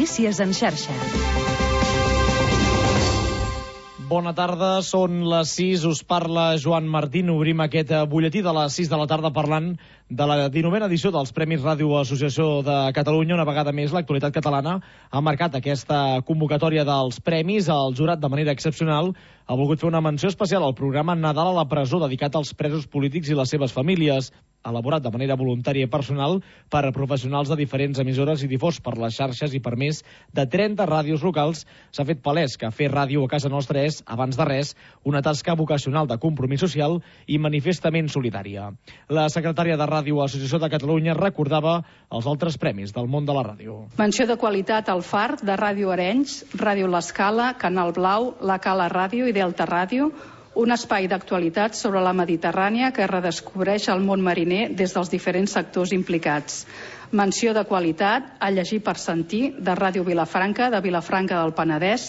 Notícies en xarxa. Bona tarda, són les 6, us parla Joan Martín. Obrim aquest butlletí de les 6 de la tarda parlant de la 19a edició dels Premis Ràdio Associació de Catalunya. Una vegada més, l'actualitat catalana ha marcat aquesta convocatòria dels premis. El jurat, de manera excepcional, ha volgut fer una menció especial al programa Nadal a la presó, dedicat als presos polítics i les seves famílies, elaborat de manera voluntària i personal per a professionals de diferents emissores i difós per les xarxes i per més de 30 ràdios locals. S'ha fet palès que fer ràdio a casa nostra és, abans de res, una tasca vocacional de compromís social i manifestament solidària. La secretària de Ràdio Associació de Catalunya recordava els altres premis del món de la ràdio. Menció de qualitat al Far, de Ràdio Arenys, Ràdio L'Escala, Canal Blau, La Cala Ràdio i Delta Ràdio, un espai d'actualitat sobre la Mediterrània que redescobreix el món mariner des dels diferents sectors implicats. Menció de qualitat a Llegir per sentir, de Ràdio Vilafranca, de Vilafranca del Penedès,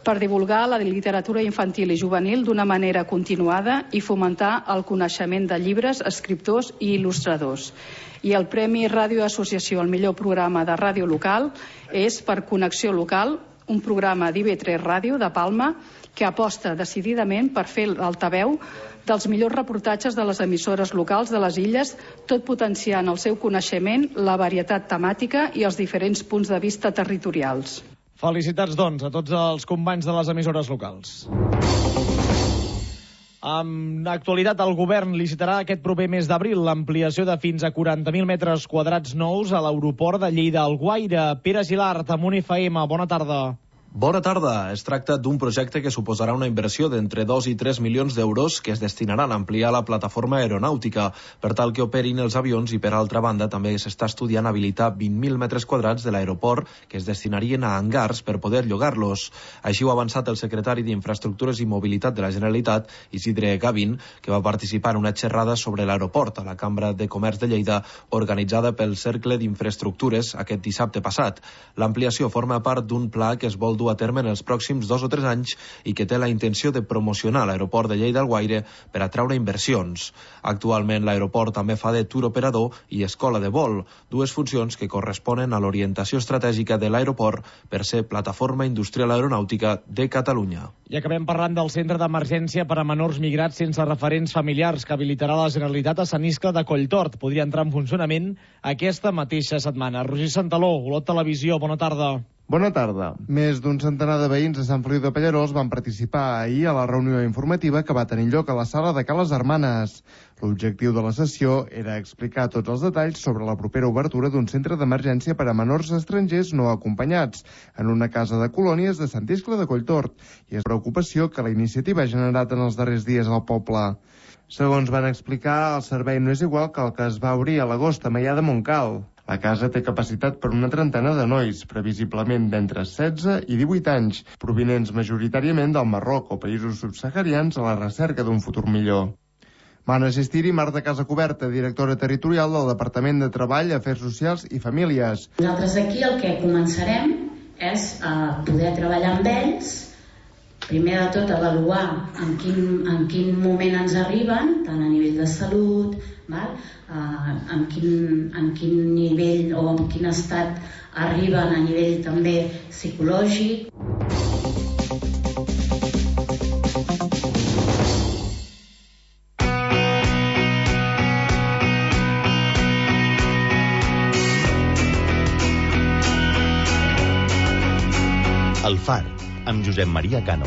per divulgar la literatura infantil i juvenil d'una manera continuada i fomentar el coneixement de llibres, escriptors i il·lustradors. I el Premi Ràdio Associació al millor programa de ràdio local és per Connexió Local, un programa d'IV3 Ràdio de Palma que aposta decididament per fer l'altaveu dels millors reportatges de les emissores locals de les illes, tot potenciant el seu coneixement, la varietat temàtica i els diferents punts de vista territorials. Felicitats, doncs, a tots els companys de les emissores locals. En actualitat, el govern licitarà aquest proper mes d'abril l'ampliació de fins a 40.000 metres quadrats nous a l'aeroport de Lleida-Alguaire. Pere Gilart, Amunt FM, bona tarda. Bona tarda. Es tracta d'un projecte que suposarà una inversió d'entre 2 i 3 milions d'euros que es destinaran a ampliar la plataforma aeronàutica per tal que operin els avions i, per altra banda, també s'està estudiant habilitar 20.000 metres quadrats de l'aeroport que es destinarien a hangars per poder llogar-los. Així ho ha avançat el secretari d'Infraestructures i Mobilitat de la Generalitat, Isidre Gavín, que va participar en una xerrada sobre l'aeroport a la Cambra de Comerç de Lleida, organitzada pel Cercle d'Infraestructures aquest dissabte passat. L'ampliació forma part d'un pla que es vol dur a terme en els pròxims 2 o 3 anys i que té la intenció de promocionar l'aeroport de Lleida-Alguaire per atraure inversions. Actualment l'aeroport també fa de tour operador i escola de vol, dues funcions que corresponen a l'orientació estratègica de l'aeroport per ser plataforma industrial aeronàutica de Catalunya. I acabem parlant del centre d'emergència per a menors migrats sense referents familiars que habilitarà la Generalitat a Sant Iscle de Colltort. Podria entrar en funcionament aquesta mateixa setmana. Roger Santaló, Olot Televisió, bona tarda. Bona tarda. Més d'un centenar de veïns de Sant Feliu de Pallerols van participar ahir a la reunió informativa que va tenir lloc a la sala de Cales Hermanes. L'objectiu de la sessió era explicar tots els detalls sobre la propera obertura d'un centre d'emergència per a menors estrangers no acompanyats en una casa de colònies de Sant Iscle de Colltort i és preocupació que la iniciativa ha generat en els darrers dies al poble. Segons van explicar, el servei no és igual que el que es va obrir a l'agost a Maià de Montcal. La casa té capacitat per una trentena de nois, previsiblement d'entre 16 i 18 anys, provinents majoritàriament del Marroc o països subsaharians a la recerca d'un futur millor. Van assistir-hi Marta Casacoberta, directora territorial del Departament de Treball, Afers Socials i Famílies. Nosaltres aquí el que començarem és a poder treballar amb ells, primer de tot avaluar en quin moment ens arriben, tant a nivell de salut, en quin nivell o en quin estat arriben a nivell també psicològic. El Far, amb Josep Maria Cano.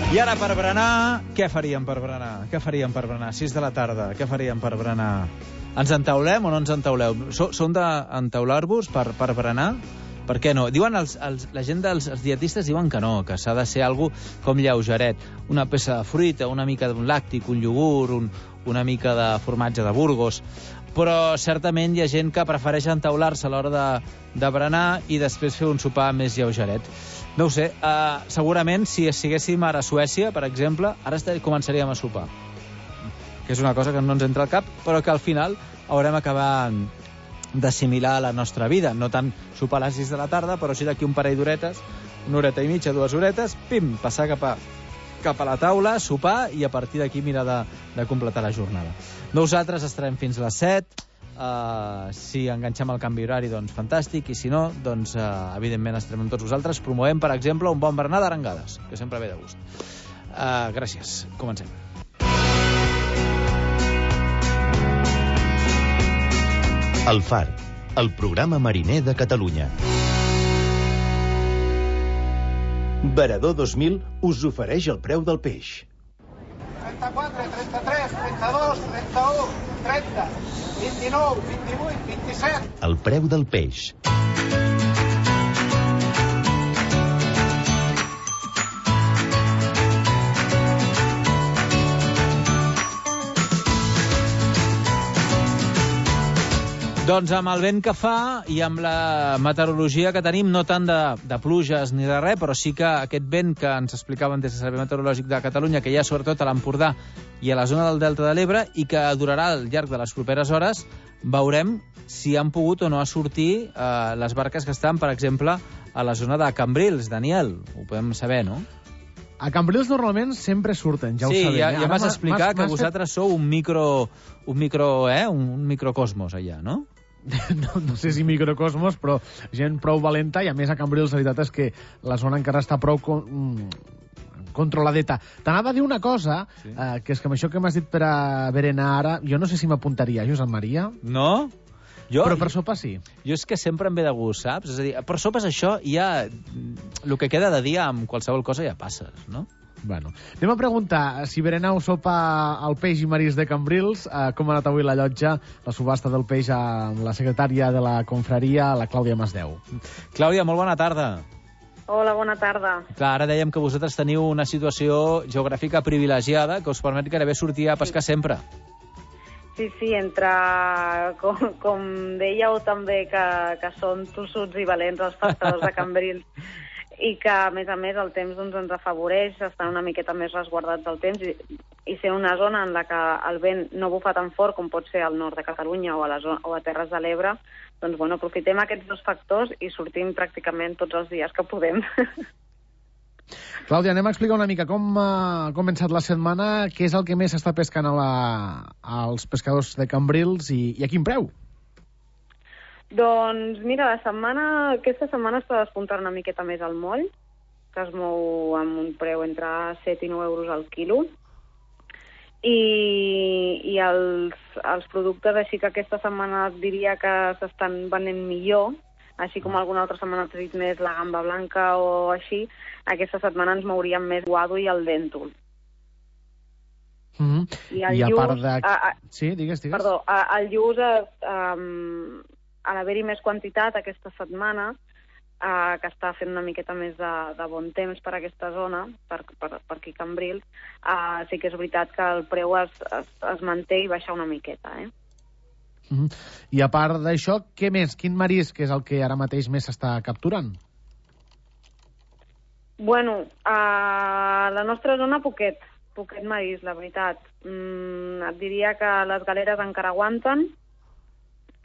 I ara per berenar, què faríem per berenar? 6 de la tarda, què faríem per berenar? Ens entaulem o no ens entauleu? Són d'entaular-vos per berenar? Per què no? Diuen la gent dels dietistes diuen que no, que s'ha de ser algo com lleugeret. Una peça de fruita, una mica d'un làctic, un iogurt, una mica de formatge de Burgos. Però certament hi ha gent que prefereix entaular-se a l'hora de berenar i després fer un sopar més lleugeret. No ho sé, segurament si estiguéssim ara a Suècia, per exemple, ara començaríem a sopar. Que és una cosa que no ens entra al cap, però que al final haurem acabat d'assimilar la nostra vida. No tant sopar a les 6 de la tarda, però sí d'aquí un parell d'horetes, una horeta i mitja, 2 horetes, pim, passar cap a la taula, sopar, i a partir d'aquí mirar de completar la jornada. Nosaltres estarem fins a les 7, si enganxem el canvi horari, doncs fantàstic, i si no, doncs evidentment estarem amb tots vosaltres. Promovem, per exemple, un bon berenar d'arengades, que sempre ve de gust. Gràcies. Comencem. El Far, el programa mariner de Catalunya. Varador 2000 us ofereix el preu del peix. 34, 33, 32, 31, 30, 29, 28, 27. El preu del peix. Doncs amb el vent que fa i amb la meteorologia que tenim, no tant de pluges ni de res, però sí que aquest vent que ens explicaven des del Servei Meteorològic de Catalunya, que hi ha sobretot a l'Empordà i a la zona del Delta de l'Ebre, i que durarà al llarg de les properes hores, veurem si han pogut o no sortir les barques que estan, per exemple, a la zona de Cambrils. Daniel, ho podem saber, no? A Cambrils normalment sempre surten, ja ho sabem. Sí, ja m'has explicat que vosaltres sou un microcosmos allà, no? No sé si microcosmos, però gent prou valenta, i a més a Cambrils la veritat és que la zona encara està prou controladeta. T'anava a dir una cosa, sí. Que és que amb això que m'has dit per a berenar ara, jo no sé si m'apuntaria, Josep Maria. No? Però per sopa sí. Jo és que sempre em ve de gust, saps? És a dir, per sopes això ja... El que queda de dia amb qualsevol cosa ja passes, no? Bueno, anem a preguntar si berenau sopa al peix i marís de Cambrils. Com ha anat avui la llotja, la subhasta del peix, amb la secretària de la confraria, la Clàudia Masdeu. Clàudia, molt bona tarda. Hola, bona tarda. Clar, ara dèiem que vosaltres teniu una situació geogràfica privilegiada que us permet gairebé sortir a pescar sempre. Sí, entre, com dèieu també, que són tossuts i valents els pescadors de Cambrils, i que, a més, el temps ens afavoreix estar una miqueta més resguardats del temps i ser una zona en la que el vent no bufa tan fort com pot ser al nord de Catalunya o a Terres de l'Ebre. Doncs, bueno, aprofitem aquests dos factors i sortim pràcticament tots els dies que podem. Clàudia, anem a explicar una mica com ha començat la setmana, què és el que més s'està pescant als pescadors de Cambrils i a quin preu? Doncs mira, aquesta setmana està despuntant una miqueta més al moll, que es mou amb un preu entre 7 i 9 euros al quilo, i els productes, així que aquesta setmana diria que s'estan venent millor, així com alguna altra setmana ha tret més la gamba blanca o així, aquesta setmana ens mouríem més guado i el dèntol. I a part de... Sí, digues. Perdó, el lluç, a l'haver-hi més quantitat aquesta setmana, que està fent una miqueta més de bon temps per aquesta zona, per aquí Cambrils, sí que és veritat que el preu es manté i baixa una miqueta, I a part d'això, què més? Quin marisc és el que ara mateix més s'està capturant? Bueno, a la nostra zona poquet marisc, la veritat. Et diria que les galeres encara aguanten.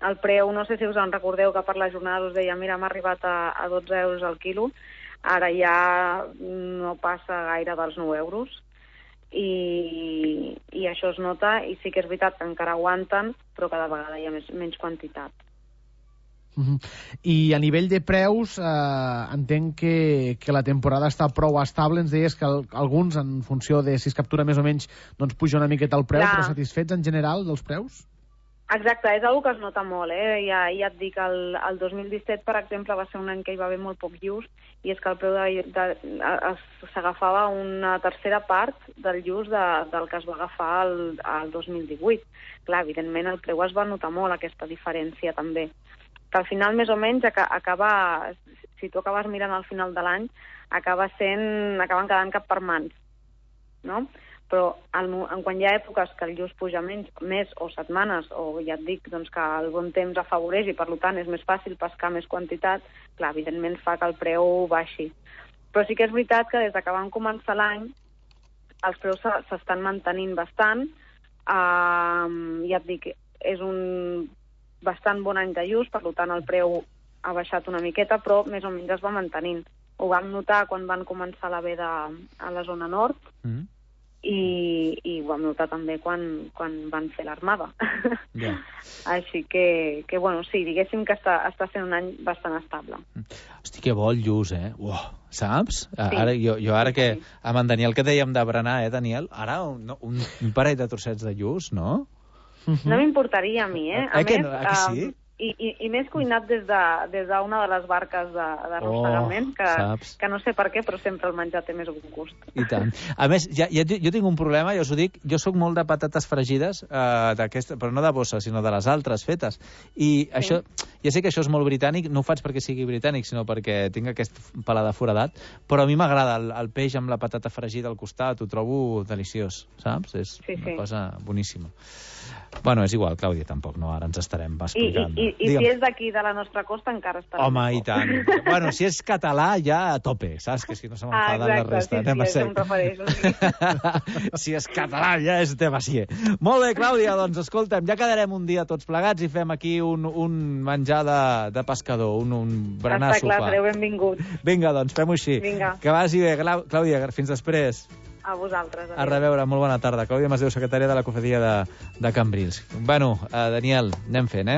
El preu, no sé si us en recordeu que per la jornada us deia, mira, m'ha arribat a 12 euros al quilo, ara ja no passa gaire dels 9 euros, i això es nota, i sí que és veritat que encara aguanten, però cada vegada hi ha menys quantitat. I a nivell de preus, entenc que la temporada està prou estable. Ens deies que alguns, en funció de si es captura més o menys, doncs puja una miqueta el preu, però satisfets en general dels preus? Exacte, és una que es nota molt, Ja et dic, el 2017, per exemple, va ser un any que hi va haver molt poc lluç, i és que el preu s'agafava una tercera part del lluç del que es va agafar el 2018. Clar, evidentment el preu es va notar molt, aquesta diferència també. Que al final, més o menys, si tu acabes mirant al final de l'any, acaben quedant cap per mans, no? Però quan hi ha èpoques que el lluç puja més o setmanes, o ja et dic doncs, que el bon temps afavoreix i per tant és més fàcil pescar més quantitat, clar, evidentment fa que el preu baixi. Però sí que és veritat que des que vam començar l'any els preus s'estan mantenint bastant. Ja et dic, és un bastant bon any de lluç, per tant el preu ha baixat una miqueta, però més o menys es va mantenint. Ho vam notar quan van començar la veda a la zona nord, i ho vam notar també quan van fer l'armada. Yeah. Així que, bueno, sí, diguéssim que està sent un any bastant estable. Hosti, que bo el lluç, saps? Sí. Jo ara que amb en Daniel que dèiem de berenar, Daniel? Ara un parell de trossets de lluç, no? No m'importaria a mi, A més, que sí? I més cuinat des d'una de les barques d'arrossegament, que no sé per què, però sempre el menjar té més gust. I tant. A més, jo tinc un problema, ja us ho dic, jo sóc molt de patates fregides, però no de bossa, sinó de les altres fetes. I això, ja sé que això és molt britànic, no ho faig perquè sigui britànic, sinó perquè tinc aquest paladar foradat, però a mi m'agrada el peix amb la patata fregida al costat, ho trobo deliciós, saps? És una cosa boníssima. Bueno, és igual, Clàudia, tampoc, no? Ara ens estarem explicant. I si és d'aquí, de la nostra costa, encara estarà. Home, i tant. Bueno, si és català, ja a tope, saps? Que si no se m'enfada la resta. Sí, em refereixo. Si és català, ja és demasié. Molt bé, Clàudia, doncs, escolta'm, ja quedarem un dia tots plegats i fem aquí un menjar de pescador, un berenar sopar. Està clar, sereu benvinguts. Vinga, doncs, fem-ho així. Vinga. Que vagi bé, Clàudia, fins després. A vosaltres. A reveure, molt bona tarda. Clàudia Masdeu, secretària de la Cofradia de Cambrils. Bueno, Daniel, anem fent,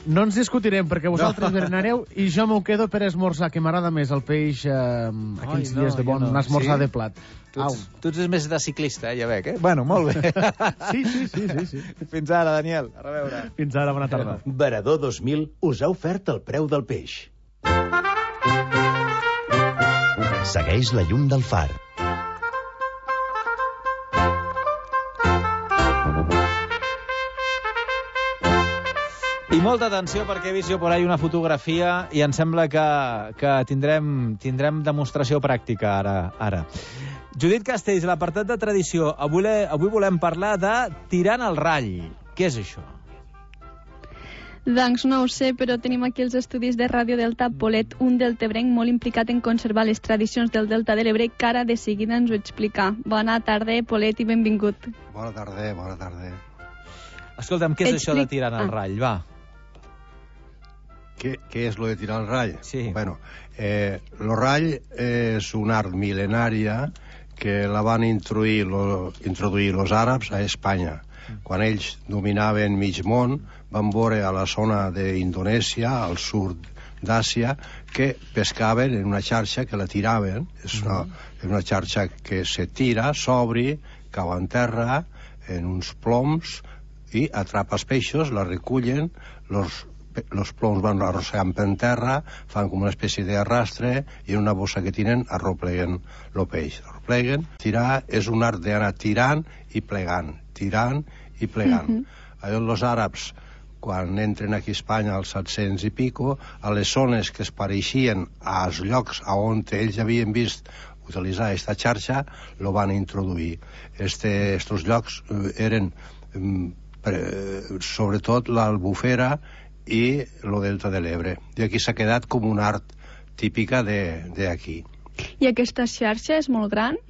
No ens discutirem, perquè vosaltres berenareu i jo m'ho quedo per esmorzar, que m'agrada més el peix aquells dies de bon esmorzar de plat. Tu ets més de ciclista, ja veig, Bueno, molt bé. Sí. Fins ara, Daniel. A reveure. Fins ara, bona tarda. Veredor 2000 us ha ofert el preu del peix. Segueix la llum del far. I molta atenció perquè he vist jo por ahí una fotografia i em sembla que tindrem demostració pràctica ara. Judit Castells, l'apartat de tradició. Avui volem parlar de tirant el rall. Què és això? Doncs no ho sé, però tenim aquí els estudis de Ràdio Delta. Polet, un deltebrenc molt implicat en conservar les tradicions del Delta de l'Ebre, que ara de seguida ens ho explica. Bona tarda, Polet, i benvingut. Bona tarda. Escolta'm, què és això de tirant el rall? Va. ¿Qué es lo de tirar el rall? Sí. Bueno, lo rall es un art milenaria que la van introduir los àrabs a Espanya. Quan ells dominaven mig món, van veure a la zona d'Indonèsia, al sud d'Àsia, que pescaven en una xarxa que la tiraven. És una xarxa que se tira, s'obri, cau en terra, en uns ploms, i atrapa els peixos, la recullen, los ploms van arrossegant per terra, fan com una espècie d'arrastre i en una bossa que tenen arropleguen el peix. Arropleguen. Tirar és un art d'anar tirant i plegant. Els àrabs, quan entren aquí a Espanya als 700 i pico, a les zones que es pareixien als llocs on ells havien vist utilitzar aquesta xarxa, lo van introduir. Estos llocs eren sobretot l'Albufera i el Delta de l'Ebre. I aquí s'ha quedat com un art típica d'aquí. I aquesta xarxa és molt gran?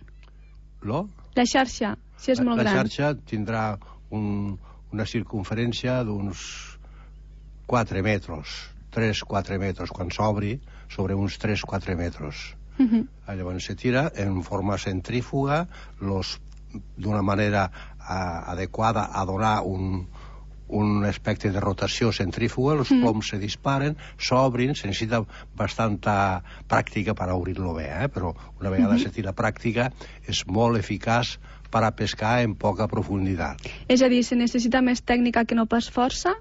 La xarxa, si és molt gran. La xarxa tindrà una circunferència d'uns 4 metres, 3-4 metres, quan s'obri, sobre uns 3-4 metres. Llavors se tira en forma centrífuga, d'una manera adequada a donar un aspecte de rotació centrífuga, els ploms se disparen, s'obrin, se necessita bastanta pràctica per obrir-lo bé, però una vegada se tira pràctica és molt eficaç per a pescar en poca profunditat. És a dir, se necessita més tècnica que no pas força?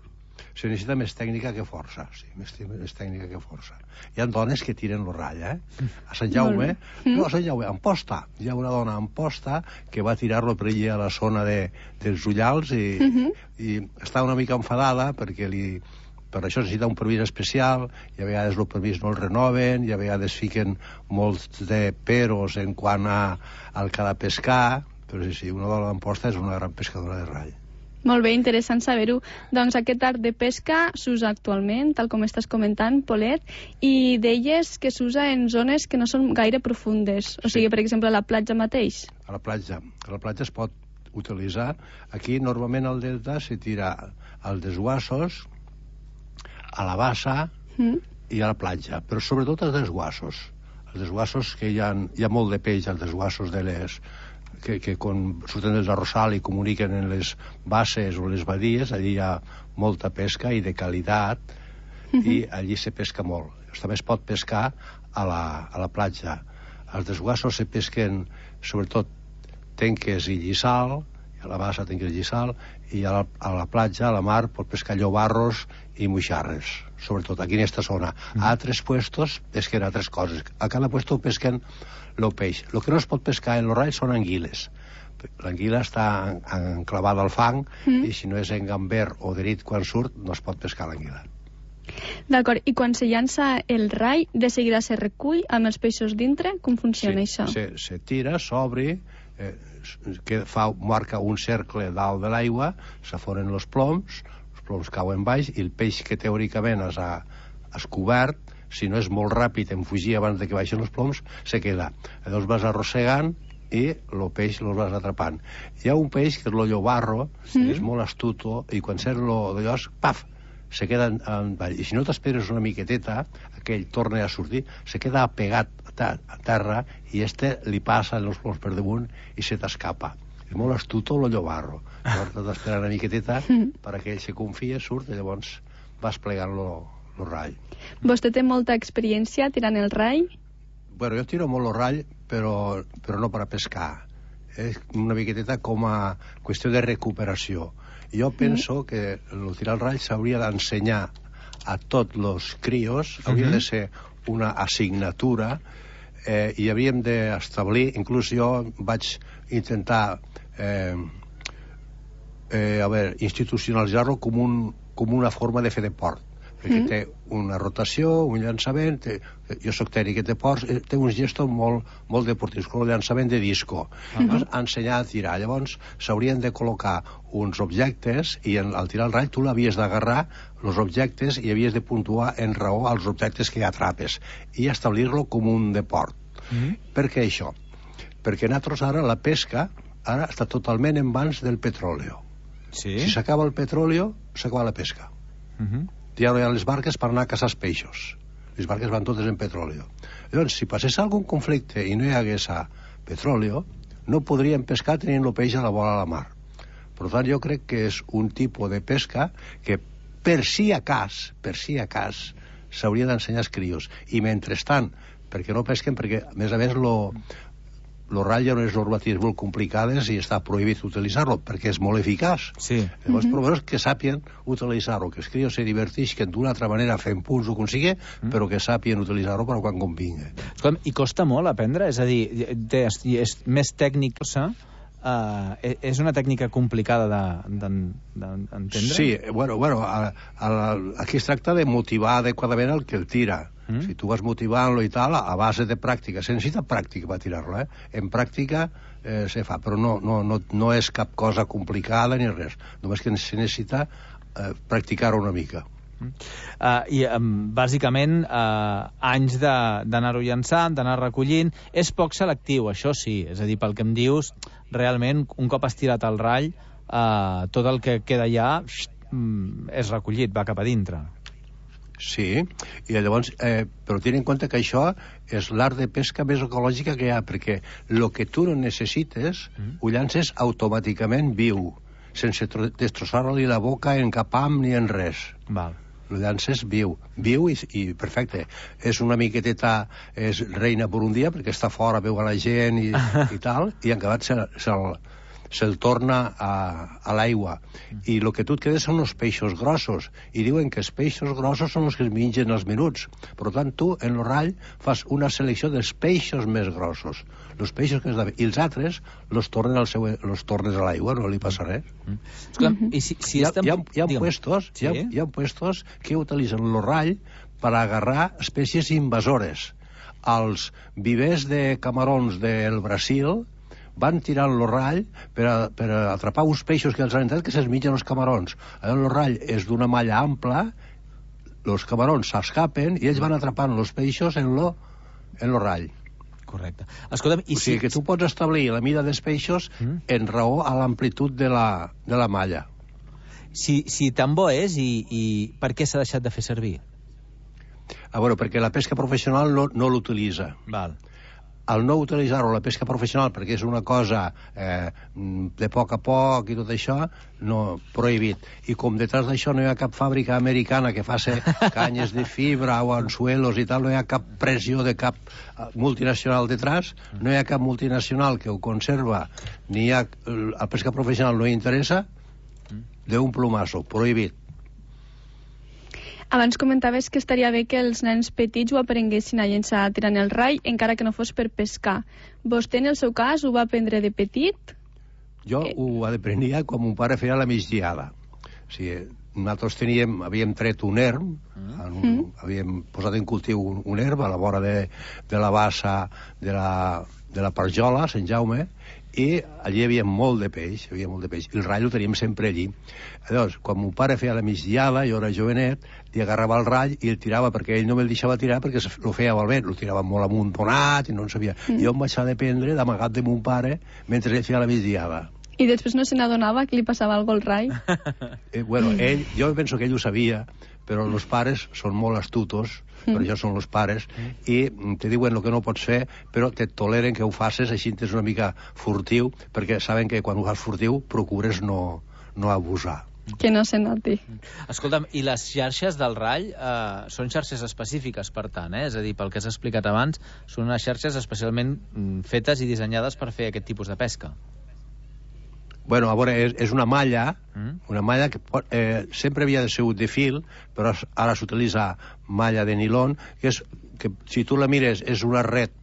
Se necessita més tècnica que força, sí, més tècnica que força. Hi ha dones que tiren el rall, A Sant Jaume, a Sant Jaume, a Amposta. Hi ha una dona a Amposta que va tirar-lo per allà a la zona dels Ullals i està una mica enfadada perquè per això necessita un permís especial i a vegades el permís no el renoven i a vegades fiquen molts de peros en quant al que ha de pescar, però sí, una dona d'Amposta és una gran pescadora de rall. Molt bé, interessant saber-ho. Doncs aquest art de pesca s'usa actualment, tal com estàs comentant, Polet, i deies que s'usa en zones que no són gaire profundes. O sigui, per exemple, a la platja mateix. A la platja es pot utilitzar. Aquí, normalment, al delta se tira als desguassos a la bassa i a la platja, però sobretot als desguassos. Els desguassos, que hi ha molt de peix als desguassos de les... que quan surten des d'Arrossal i comuniquen en les basses o les badies, allí hi ha molta pesca i de qualitat, i allí se pesca molt. També es pot pescar a la platja. Als desguassos se pesquen sobretot tenques i lliçal, a la bassa tenques i lliçal, i a la platja, a la mar, pot pescar llobarros i moixarres, sobretot aquí en aquesta zona. A altres puestos pesquen altres coses. A cada puesto pesquen el peix. El que no es pot pescar en l'orall són anguiles. L'anguila està enclavada al fang i si no és en gamber o drit quan surt, no es pot pescar l'anguila. D'acord, i quan se llança el rai, de seguida se recull amb els peixos dintre? Com funciona això? Se tira, s'obre, marca un cercle dalt de l'aigua, s'aforen els ploms cauen baix i el peix que teòricament has cobert, si no és molt ràpid en fugir abans de que baixen els ploms, se queda. Llavors vas arrossegant i el peix el vas atrapant. Hi ha un peix que és el llobarro, que és molt astuto, i quan sent d'allò, paf, se queda en ball. I si no t'esperes una miqueteta, aquell torna a sortir, se queda pegat a terra i li passa els ploms per damunt i se t'escapa. És molt astuto el llobarro. Llavors t'has d'esperar una miqueteta perquè ell se confia, surt, i llavors vas plegant el rai. Vostè té molta experiència tirant el rai? Bueno, jo tiro molt el rai, però no per a pescar. És una miqueteta com a qüestió de recuperació. Jo penso que el tirar el rai s'hauria d'ensenyar a tots els crios, hauria de ser una assignatura, i havíem d'establir, inclús jo vaig intentar institucionalitzar-lo com una forma de fer de port, perquè té una rotació, un llançament, jo soc tècnic de ports, té uns gestos molt deportius, com el llançament de disco. Llavors, ensenyar a tirar. Llavors, s'haurien de col·locar uns objectes i al tirar el rai tu l'havies d'agarrar els objectes i havies de puntuar en raó als objectes que atrapes i establir-lo com un deport. Per què això? Perquè nosaltres ara la pesca està totalment en mans del petroli. Si s'acaba el petroli, s'acaba la pesca. Ja no hi ha les barques per anar a caçar els peixos. Les barques van totes en petroli. Llavors, si passés algun conflicte i no hi hagués petroli, no podríem pescar tenint el peix a la vora de la mar. Per tant, jo crec que és un tipus de pesca que per si a cas s'hauria d'ensenyar als crios. I mentrestant, perquè no pesquen, perquè a més el rai ja no és normatives molt complicades i està prohibit utilitzar-lo perquè és molt eficaç. Llavors, però que sàpien utilitzar-lo, que els crios se divertisquen d'una altra manera fent punts o com sigui, però que sàpien utilitzar-lo per quan convingui. I costa molt aprendre? És a dir, és més tècnic, és una tècnica complicada d'entendre? Sí, bueno, aquí es tracta de motivar adequadament el que el tira. Si tu vas motivant-lo i tal, a base de pràctica, se necessita pràctica per tirar-lo, en pràctica se fa, però no és cap cosa complicada ni res, només que se necessita practicar-ho una mica. I bàsicament anys d'anar-ho llançant, d'anar recollint, és poc selectiu, això sí, és a dir, pel que em dius, realment un cop has tirat el rai, tot el que queda allà és recollit, va cap a dintre. Sí, i llavors, però tenint en compte que això és l'art de pesca més ecològica que hi ha, perquè el que tu no necessites ho llances automàticament viu, sense destrossar-li la boca en cap ham ni en res. Lo llances viu i perfecte. És una miqueteta, és reina per un dia, perquè està fora, veu a la gent i tal, i en acabat se'l torna a l'aigua. I el que tu et quedes són els peixos grossos, i diuen que els peixos grossos són els que es mengen els menuts. Per tant, tu, en el rai, fas una selecció dels peixos més grossos. Els peixos que i els altres los tornes a l'aigua, no li passa res. Hi ha puestos que utilitzen el rai per agarrar espècies invasores. Els vivers de camarons del Brasil van tirar el rai per atrapar uns peixos que els han entrat que se'ls mengen els camarons. El rai és d'una malla ampla, els camarons s'escapen i ells van atrapant els peixos en el rai. Correcte. O sigui que tu pots establir la mida dels peixos en raó a l'amplitud de la malla. Si tan bo és, i per què s'ha deixat de fer servir? A veure, perquè la pesca professional no l'utilitza. Val. Al no utilitzar-ho la pesca professional, perquè és una cosa de poc a poc i tot això, no, prohibit. I com detrás d'això no hi ha cap fàbrica americana que faci canyes de fibra o anzuelos i tal, no hi ha cap pressió de cap multinacional detrás, no hi ha cap multinacional que ho conserva, ni hi ha... La pesca professional no hi interessa, d'un plumazo, prohibit. Abans comentaves que estaria bé que els nens petits ho aprenguessin a llençar tirant el rai, encara que no fos per pescar. Vostè, en el seu cas, ho va aprendre de petit? Jo ho aprenia quan mon pare feia la migdiada. O sigui, nosaltres havíem tret un erm, havíem posat en cultiu un erm a la vora de la bassa de la Parjola, Sant Jaume, i allí hi havia molt de peix, i el rall ho teníem sempre allí. Llavors, quan mon pare feia la migdiada, jo era jovenet, li agarrava el rall i el tirava, perquè ell no me'l deixava tirar perquè lo feia malbé, lo tirava molt amuntonat i no en sabia. Jo em vaig d'aprendre d'amagat de mon pare mentre ell feia la migdiada. I després no se n'adonava que li passava alguna cosa al rai? Bueno, jo penso que ell ho sabia, però els pares són molt astutos, per això són els pares, i te diuen el que no pots fer, però te toleren que ho facis, així ets una mica furtiu, perquè saben que quan ho fas furtiu procures no abusar. Que no se noti. Escolta'm, i les xarxes del rall són xarxes específiques, per tant, és a dir, pel que has explicat abans, són unes xarxes especialment fetes i dissenyades per fer aquest tipus de pesca. Bueno, a veure, és una malla que sempre havia de ser de fil, però ara s'utilitza malla de nilon, que si tu la mires és una red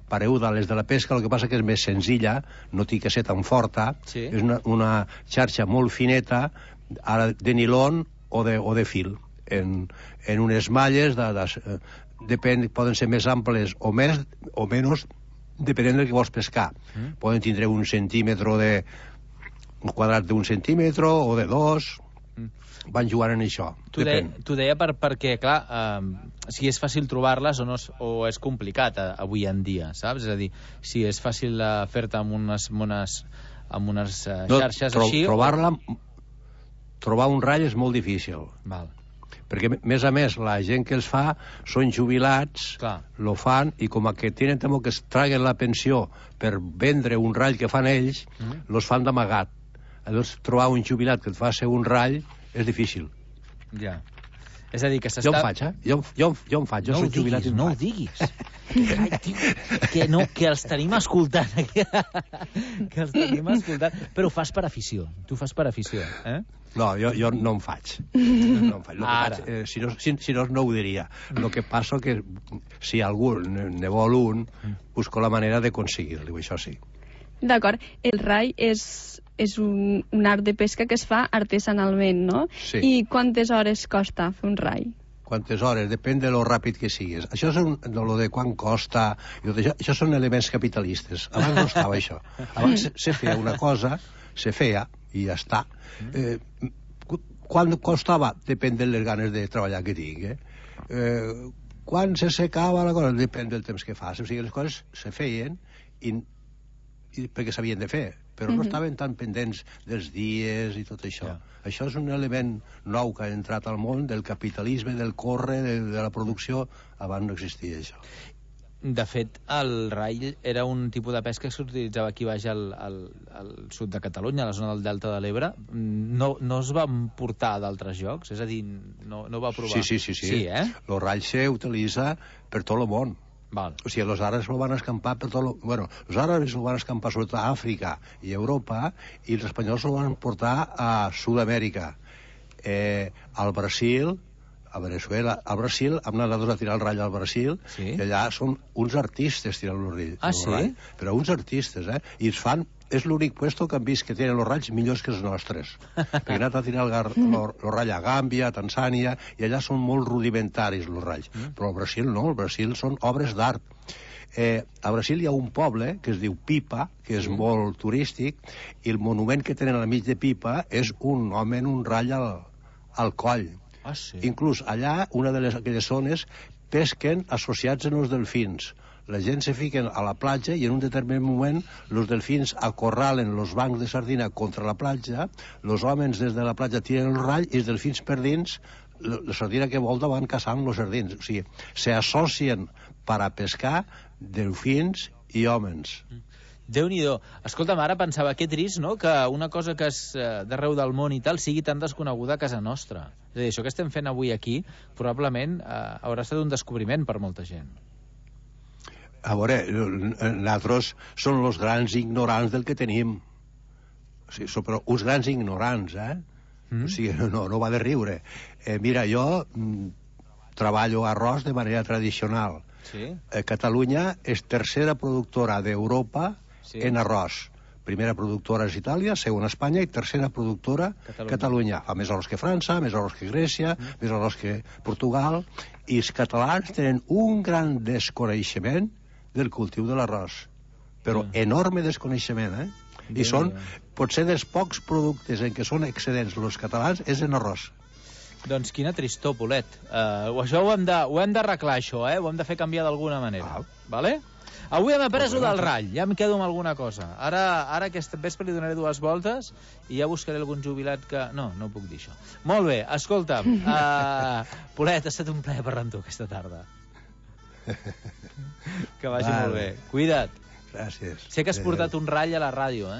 pareguda a les de la pesca, el que passa que és més senzilla, no té que ser tan forta, és una xarxa molt fineta, ara de nilon o de fil, en unes malles, poden ser més amples o menys, depenent del que vols pescar. Poden tindre un quadrat d'un centímetre o de 2, van jugant en això. T'ho deia perquè, clar, si és fàcil trobar-les o és complicat avui en dia, saps? És a dir, si és fàcil fer-te amb unes xarxes així... Trobar un rall és molt difícil. Val. Perquè, més a més, la gent que els fa són jubilats, lo fan, i com que tenen temor que es traguen la pensió per vendre un rall que fan ells, los fan d'amagat. Llavors, trobar un jubilat que et faci un rall és difícil. Ja. És a dir, que s'està... Jo en faig, Jo en faig, jo soc jubilat i en faig. No ho diguis. Que els tenim escoltant. Que els tenim escoltant. Però ho fas per afició. Tu fas per afició, eh? No, jo no en faig. Si no ho diria. El que passa que si algú ne vol un, busco la manera d'aconseguir-li, això sí. D'acord. El rai és un art de pesca que es fa artesanalment, no? Sí. I quantes hores costa fer un rai? Quantes hores? Depèn de lo ràpid que siguis. Això és lo de quan costa... Això són elements capitalistes. Abans no estava això. Abans se feia una cosa, se feia, i ja està. Quan costava? Depèn de les ganes de treballar que tingui. Quan se secava la cosa? Depèn del temps que fas. O sigui, les coses se feien perquè s'havien de fer, però no estaven tan pendents dels dies i tot això. Això és un element nou que ha entrat al món del capitalisme, del córrer, de la producció. Abans no existia això. De fet, el rai era un tipus de pesca que s'utilitzava aquí baix al sud de Catalunya, a la zona del Delta de l'Ebre. No es va portar a d'altres llocs? És a dir, no va provar? Sí, el rai s'utilitza per tot el món. Val. O sigui, els àrabs ho van escampar per tot... Bueno, els àrabs ho van escampar sobretot a Àfrica i Europa, i els espanyols ho van portar a Sud-amèrica. Al Brasil, a Venezuela, al Brasil, hem anat a tirar el rall al Brasil, i allà són uns artistes tirant el rall. Ah, sí? Però uns artistes, i es fan... És l'únic puesto que han vist que tenen els ralls millors que els nostres. Perquè han anat a tirar el rall a Gàmbia, a Tanzània, i allà són molt rudimentaris els ralls. Però al Brasil no, al Brasil són obres d'art. A Brasil hi ha un poble que es diu Pipa, que és molt turístic, i el monument que tenen al mig de Pipa és un home en un rall al coll. Ah, sí? Inclús allà, una de aquelles zones, pesquen associats en els delfins. La gent se fiquen a la platja i en un determinat moment els delfins acorralen els bancs de sardina contra la platja, els homes des de la platja tiren el rall i els delfins per dins, la sardina que volta van caçant els sardins. O sigui, s'associen per a pescar delfins i homes. Déu-n'hi-do. Escolta'm, ara pensava, que trist, no?, que una cosa que és d'arreu del món i tal sigui tan desconeguda a casa nostra. És a dir, això que estem fent avui aquí probablement haurà estat un descobriment per molta gent. A veure, nosaltres som els grans ignorants del que tenim. O sigui, som uns grans ignorants, O sigui, no va de riure. Mira, jo treballo arròs de manera tradicional. Sí. Catalunya és tercera productora d'Europa en arròs. Primera productora és Itàlia, segona Espanya i tercera productora Catalunya. Fa més arròs que França, més arròs que Grècia, més arròs que Portugal, i els catalans tenen un gran desconeixement del cultiu de l'arròs. Però enorme desconeixement, I són, potser dels pocs productes en què són excedents els catalans és en arròs. Doncs quina tristor, Polet. Això ho hem d'arreglar, això, Ho hem de fer canviar d'alguna manera. Vale? Avui hem après del ratll, ja em quedo amb alguna cosa. Ara aquest vespre li donaré 2 voltes i ja buscaré algun jubilat que... No puc dir això. Molt bé, escolta'm, Polet, ha estat un plaer parlar amb tu aquesta tarda. Que vagi molt bé. Cuida't. Gràcies. Sé que has portat un ratll a la ràdio,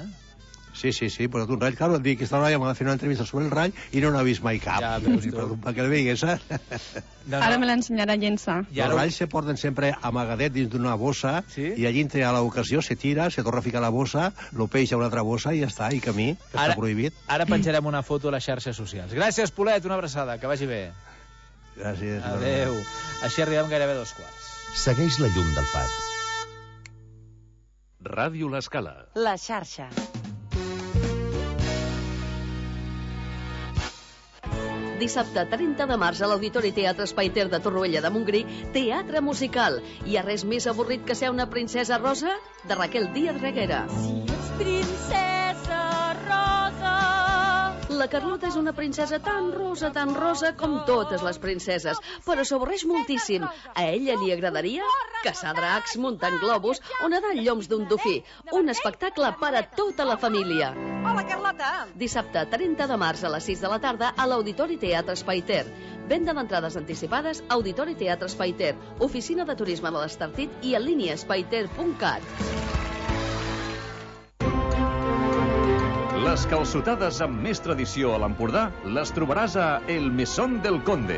Sí, he portat un ratll. Claro, em dic que esta noia m'ha de fer una entrevista sobre el ratll i no n'ha vist mai cap. Ja, veus tu. Perquè el veigues, Ara me l'ensenyarà a llençar. Els ralls se porten sempre amagadet dins d'una bossa i allí entre a l'ocasió se tira, se torna a ficar a la bossa, lo peix a una altra bossa i ja està, i camí, que està prohibit. Ara penjarem una foto a les xarxes socials. Gràcies, Polet, una abraçada, que vagi bé. Gràcies. Adéu. Així arribem gairebé a 2:15. Segueix la llum del far. Ràdio L'Escala. La xarxa. Dissabte 30 de març a l'Auditori Teatre Espai Ter de Torroella de Montgrí, teatre musical. Hi ha res més avorrit que ser una princesa rosa? De Raquel Díaz Reguera. Si ets princesa rosa... La Carlota és una princesa tan rosa com totes les princeses, però s'avorreix moltíssim. A ella li agradaria caçar dracs, muntant globus o nedar en lloms d'un dofí. Un espectacle per a tota la família. Hola, Carlota! Dissabte 30 de març a les 6 de la tarda a l'Auditori Teatre Espai Ter. Venda d'entrades anticipades Auditori Teatre Espai Ter, Oficina de Turisme de l'Estartit i en línia espaiter.cat. Les calçotades amb més tradició a l'Empordà les trobaràs a El Mesón del Conde.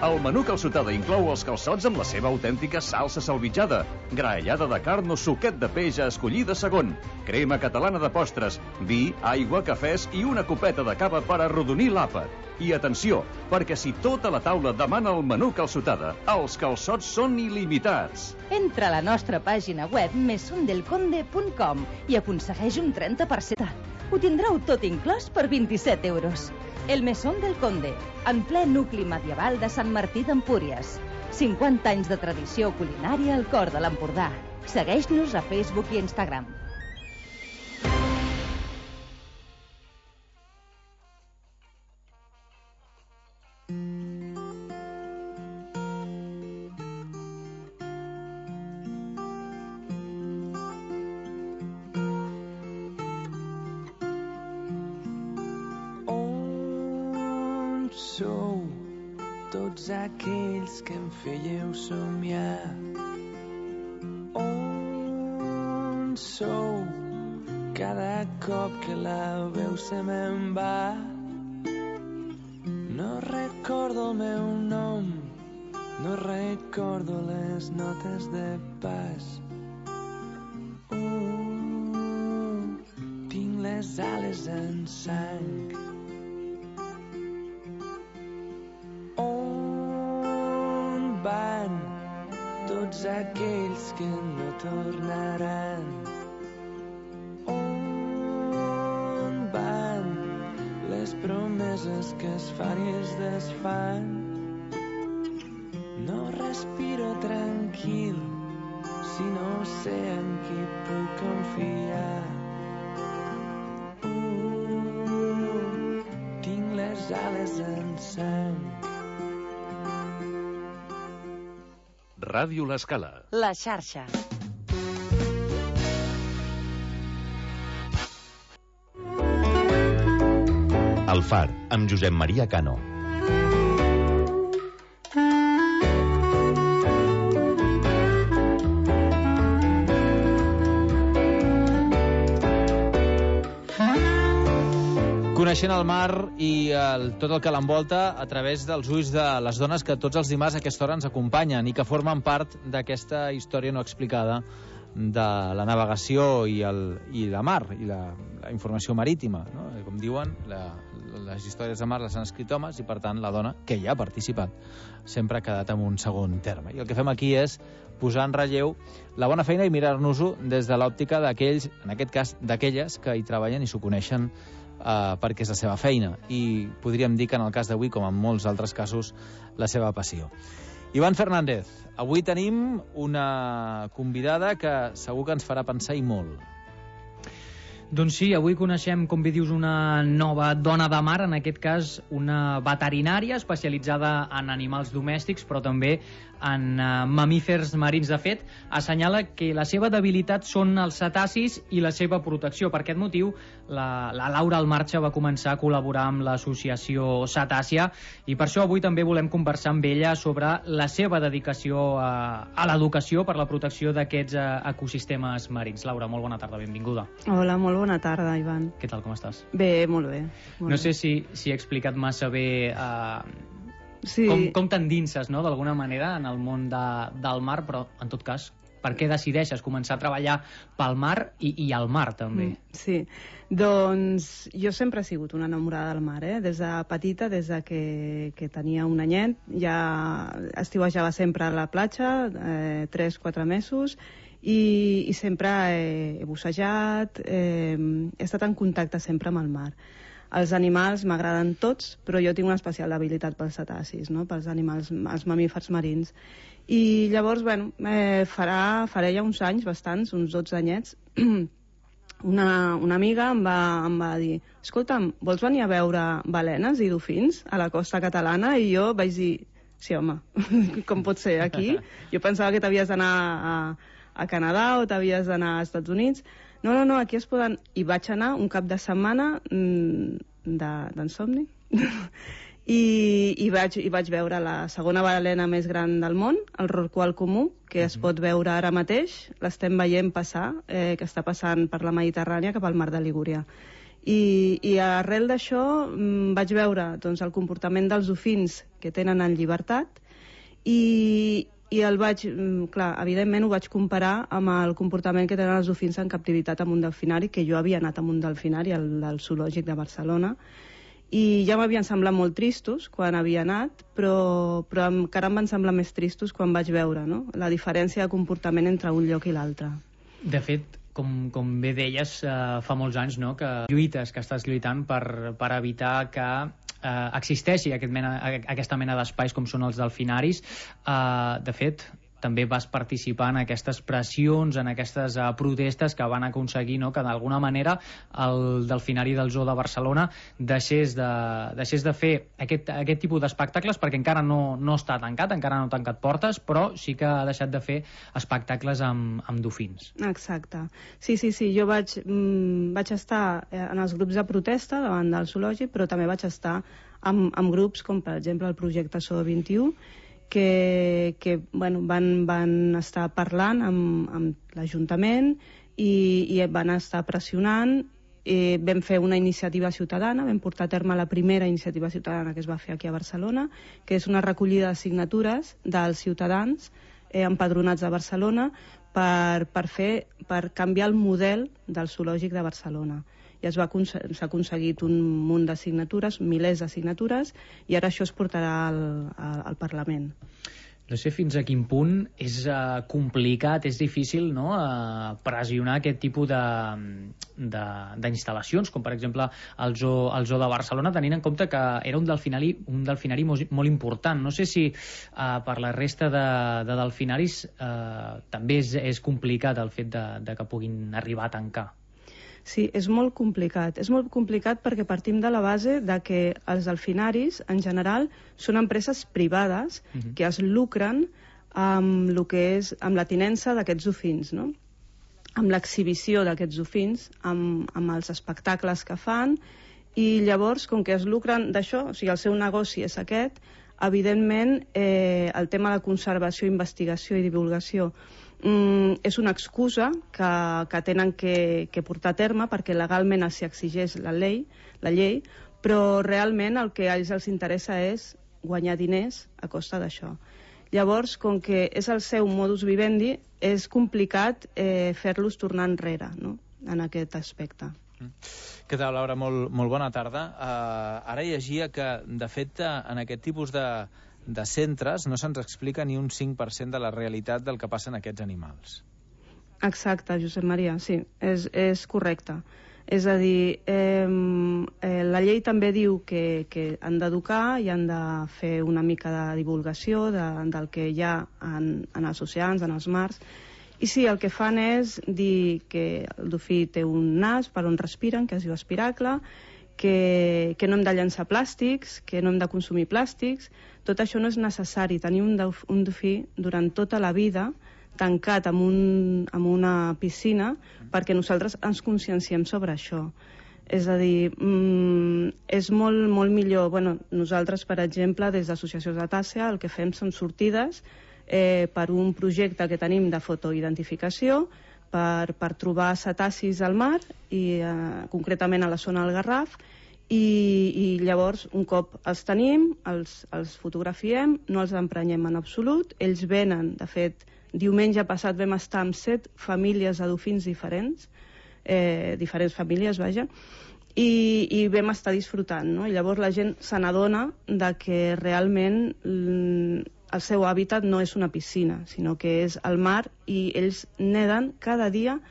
El menú calçotada inclou els calçots amb la seva autèntica salsa salvitjada, graellada de carn o suquet de peix a escollir de segon, crema catalana de postres, vi, aigua, cafès i una copeta de cava per arrodonir l'àpat. I atenció, perquè si tota la taula demana el menú calçotada, els calçots són il·limitats. Entra a la nostra pàgina web mesondelconde.com i aconsegueix un 30%. Ho tindreu tot inclòs per 27 euros. El Mesón del Conde, en ple nucli medieval de Sant Martí d'Empúries. 50 anys de tradició culinària al cor de l'Empordà. Segueix-nos a Facebook i Instagram. Sou tots aquells que em fèieu somiar. On sou cada cop que la veu se me'n va? No recordo el meu nom, no recordo les notes de pas. Tinc les ales en sang. Van tots aquells que no tornaran. On van les promeses que es fan i es desfan? No respiro tranquil si no sé en qui puc confiar. Tinc les ales en sang. Ràdio L'Escala. La xarxa. El Far, amb Josep Maria Cano. Coneixent el mar i tot el que l'envolta a través dels ulls de les dones que tots els dimarts a aquesta hora ens acompanyen i que formen part d'aquesta història no explicada de la navegació i la mar i la informació marítima, no? Com diuen, les històries de mar les han escrit homes i, per tant, la dona, que hi ha participat, sempre ha quedat en un segon terme. I el que fem aquí és posar en relleu la bona feina i mirar-nos-ho des de l'òptica d'aquells, en aquest cas, d'aquelles que hi treballen i s'ho coneixen perquè és la seva feina. I podríem dir que en el cas d'avui, com en molts altres casos, la seva passió. Ivan Fernández, avui tenim una convidada que segur que ens farà pensar i molt. Doncs sí, avui coneixem, com bé dius, una nova dona de mar, en aquest cas una veterinària especialitzada en animals domèstics, però també en mamífers marins. De fet, assenyala que la seva debilitat són els cetacis i la seva protecció. Per aquest motiu, la Laura Almarcha va començar a col·laborar amb l'associació Cetàcia i per això avui també volem conversar amb ella sobre la seva dedicació a l'educació per la protecció d'aquests ecosistemes marins. Laura, molt bona tarda, benvinguda. Hola, molt bona tarda, Ivan. Què tal, com estàs? Bé, molt bé. No sé si he explicat massa bé sí. com t'endinses, no?, d'alguna manera en el món del mar, però en tot cas, per què decideixes començar a treballar pel mar i al mar també? Sí, doncs jo sempre he sigut una enamorada del mar, des de petita, des de que tenia un anyet, ja estiuejava sempre a la platja, 3-4 mesos, i sempre he bussejat, he estat en contacte sempre amb el mar. Els animals m'agraden tots, però jo tinc una especial debilitat pels cetacis, no?, pels animals, els mamífers marins. I llavors, bueno, faré ja uns anys, bastants, uns 12 anyets, una amiga em va dir: escolta'm, vols venir a veure balenes i dofins a la costa catalana? I jo vaig dir: sí, home, com pot ser aquí? Jo pensava que t'havies d'anar a Canadà o t'havies d'anar als Estats Units. No, aquí es poden... I vaig anar un cap de setmana d'ensomni i vaig veure la segona balena més gran del món, el rorqual comú, que es pot veure ara mateix, l'estem veient passar, que està passant per la Mediterrània cap al mar de Ligúria. I arrel d'això vaig veure, doncs, el comportament dels dofins que tenen en llibertat i evidentment ho vaig comparar amb el comportament que tenen els dofins en captivitat en un delfinari, que jo havia anat a un delfinari, el del zoològic de Barcelona, i ja m'havien semblat molt tristos quan havia anat, però encara em van semblar més tristos quan vaig veure, no?, la diferència de comportament entre un lloc i l'altre. De fet, com bé deies, fa molts anys, no?, que lluites, que estàs lluitant per evitar que existeixi aquesta mena d'espais com són els delfinaris. De fet, també vas participar en aquestes pressions, en aquestes protestes que van aconseguir, no?, que d'alguna manera el delfinari del Zoo de Barcelona deixés de fer aquest tipus d'espectacles, perquè encara no està tancat, encara no ha tancat portes, però sí que ha deixat de fer espectacles amb dofins. Exacte. Sí, jo vaig estar en els grups de protesta davant del zoològic, però també vaig estar amb grups com, per exemple, el projecte SO 21, que van estar parlant amb l'Ajuntament i van estar pressionant. Vam fer una iniciativa ciutadana, vam portar a terme la primera iniciativa ciutadana que es va fer aquí a Barcelona, que és una recollida de signatures dels ciutadans empadronats a Barcelona per canviar el model del zoològic de Barcelona. I s'ha aconseguit un munt de signatures, milers de signatures, i ara això es portarà al Parlament. No sé fins a quin punt és complicat, és difícil, no?, pressionar aquest tipus d'instal·lacions, com per exemple el Zoo de Barcelona, tenint en compte que era un delfinari molt important. No sé si per la resta de delfinaris també és complicat el fet de que puguin arribar a tancar. Sí, és molt complicat. És molt complicat perquè partim de la base de que els delfinaris, en general, són empreses privades que es lucren amb la tinença d'aquests dofins, no? Amb l'exhibició d'aquests dofins, amb els espectacles que fan, i llavors, com que es lucren d'això, o sigui, el seu negoci és aquest, evidentment el tema de conservació, investigació i divulgació és una excusa que tenen que portar a terme perquè legalment s'hi exigeix la llei, però realment el que a ells els interessa és guanyar diners a costa d'això. Llavors, com que és el seu modus vivendi, és complicat fer-los tornar enrere, no?, en aquest aspecte. Què tal, Laura? Molt bona tarda. Ara llegia que, de fet, en aquest tipus de centres no se'ns explica ni un 5% de la realitat del que passa en aquests animals. Exacte, Josep Maria, sí, és correcte. És a dir, la llei també diu que han d'educar i han de fer una mica de divulgació del que hi ha en els oceans, en els mars. I sí, el que fan és dir que el dofí té un nas per on respiren, que es diu espiracle, que no hem de llançar plàstics, que no hem de consumir plàstics. Tot això no és necessari. Tenir un dofí durant tota la vida tancat en una piscina perquè nosaltres ens conscienciem sobre això. És a dir, és molt millor. Nosaltres, per exemple, des d'Associació Cetàcia, el que fem són sortides per un projecte que tenim de fotoidentificació per trobar cetacis al mar i concretament a la zona del Garraf, i llavors un cop els tenim, els fotografiem, no els emprenyem en absolut, ells venen. De fet, diumenge passat vam estar amb 7 famílies de dofins diferents famílies, vaja, i vam estar disfrutant, no? I llavors la gent se n'adona que realment el seu hàbitat no és una piscina, sinó que és el mar, i ells neden cada dia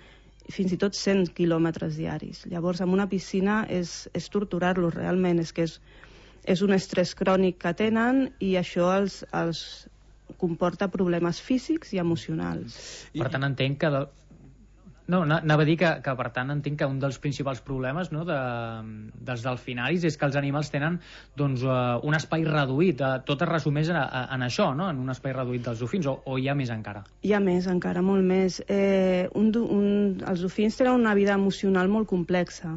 fins i tot 100 quilòmetres diaris. Llavors, en una piscina és torturar-los realment, és un estrès crònic que tenen, i això els comporta problemes físics i emocionals. Per tant, entenc que... No, anava a dir que per tant entenc que un dels principals problemes, no, dels delfinaris és que els animals tenen un espai reduït. Tot es resumeix en això, no?, en un espai reduït dels dofins, o hi ha més encara? Hi ha més encara, molt més. Els dofins tenen una vida emocional molt complexa.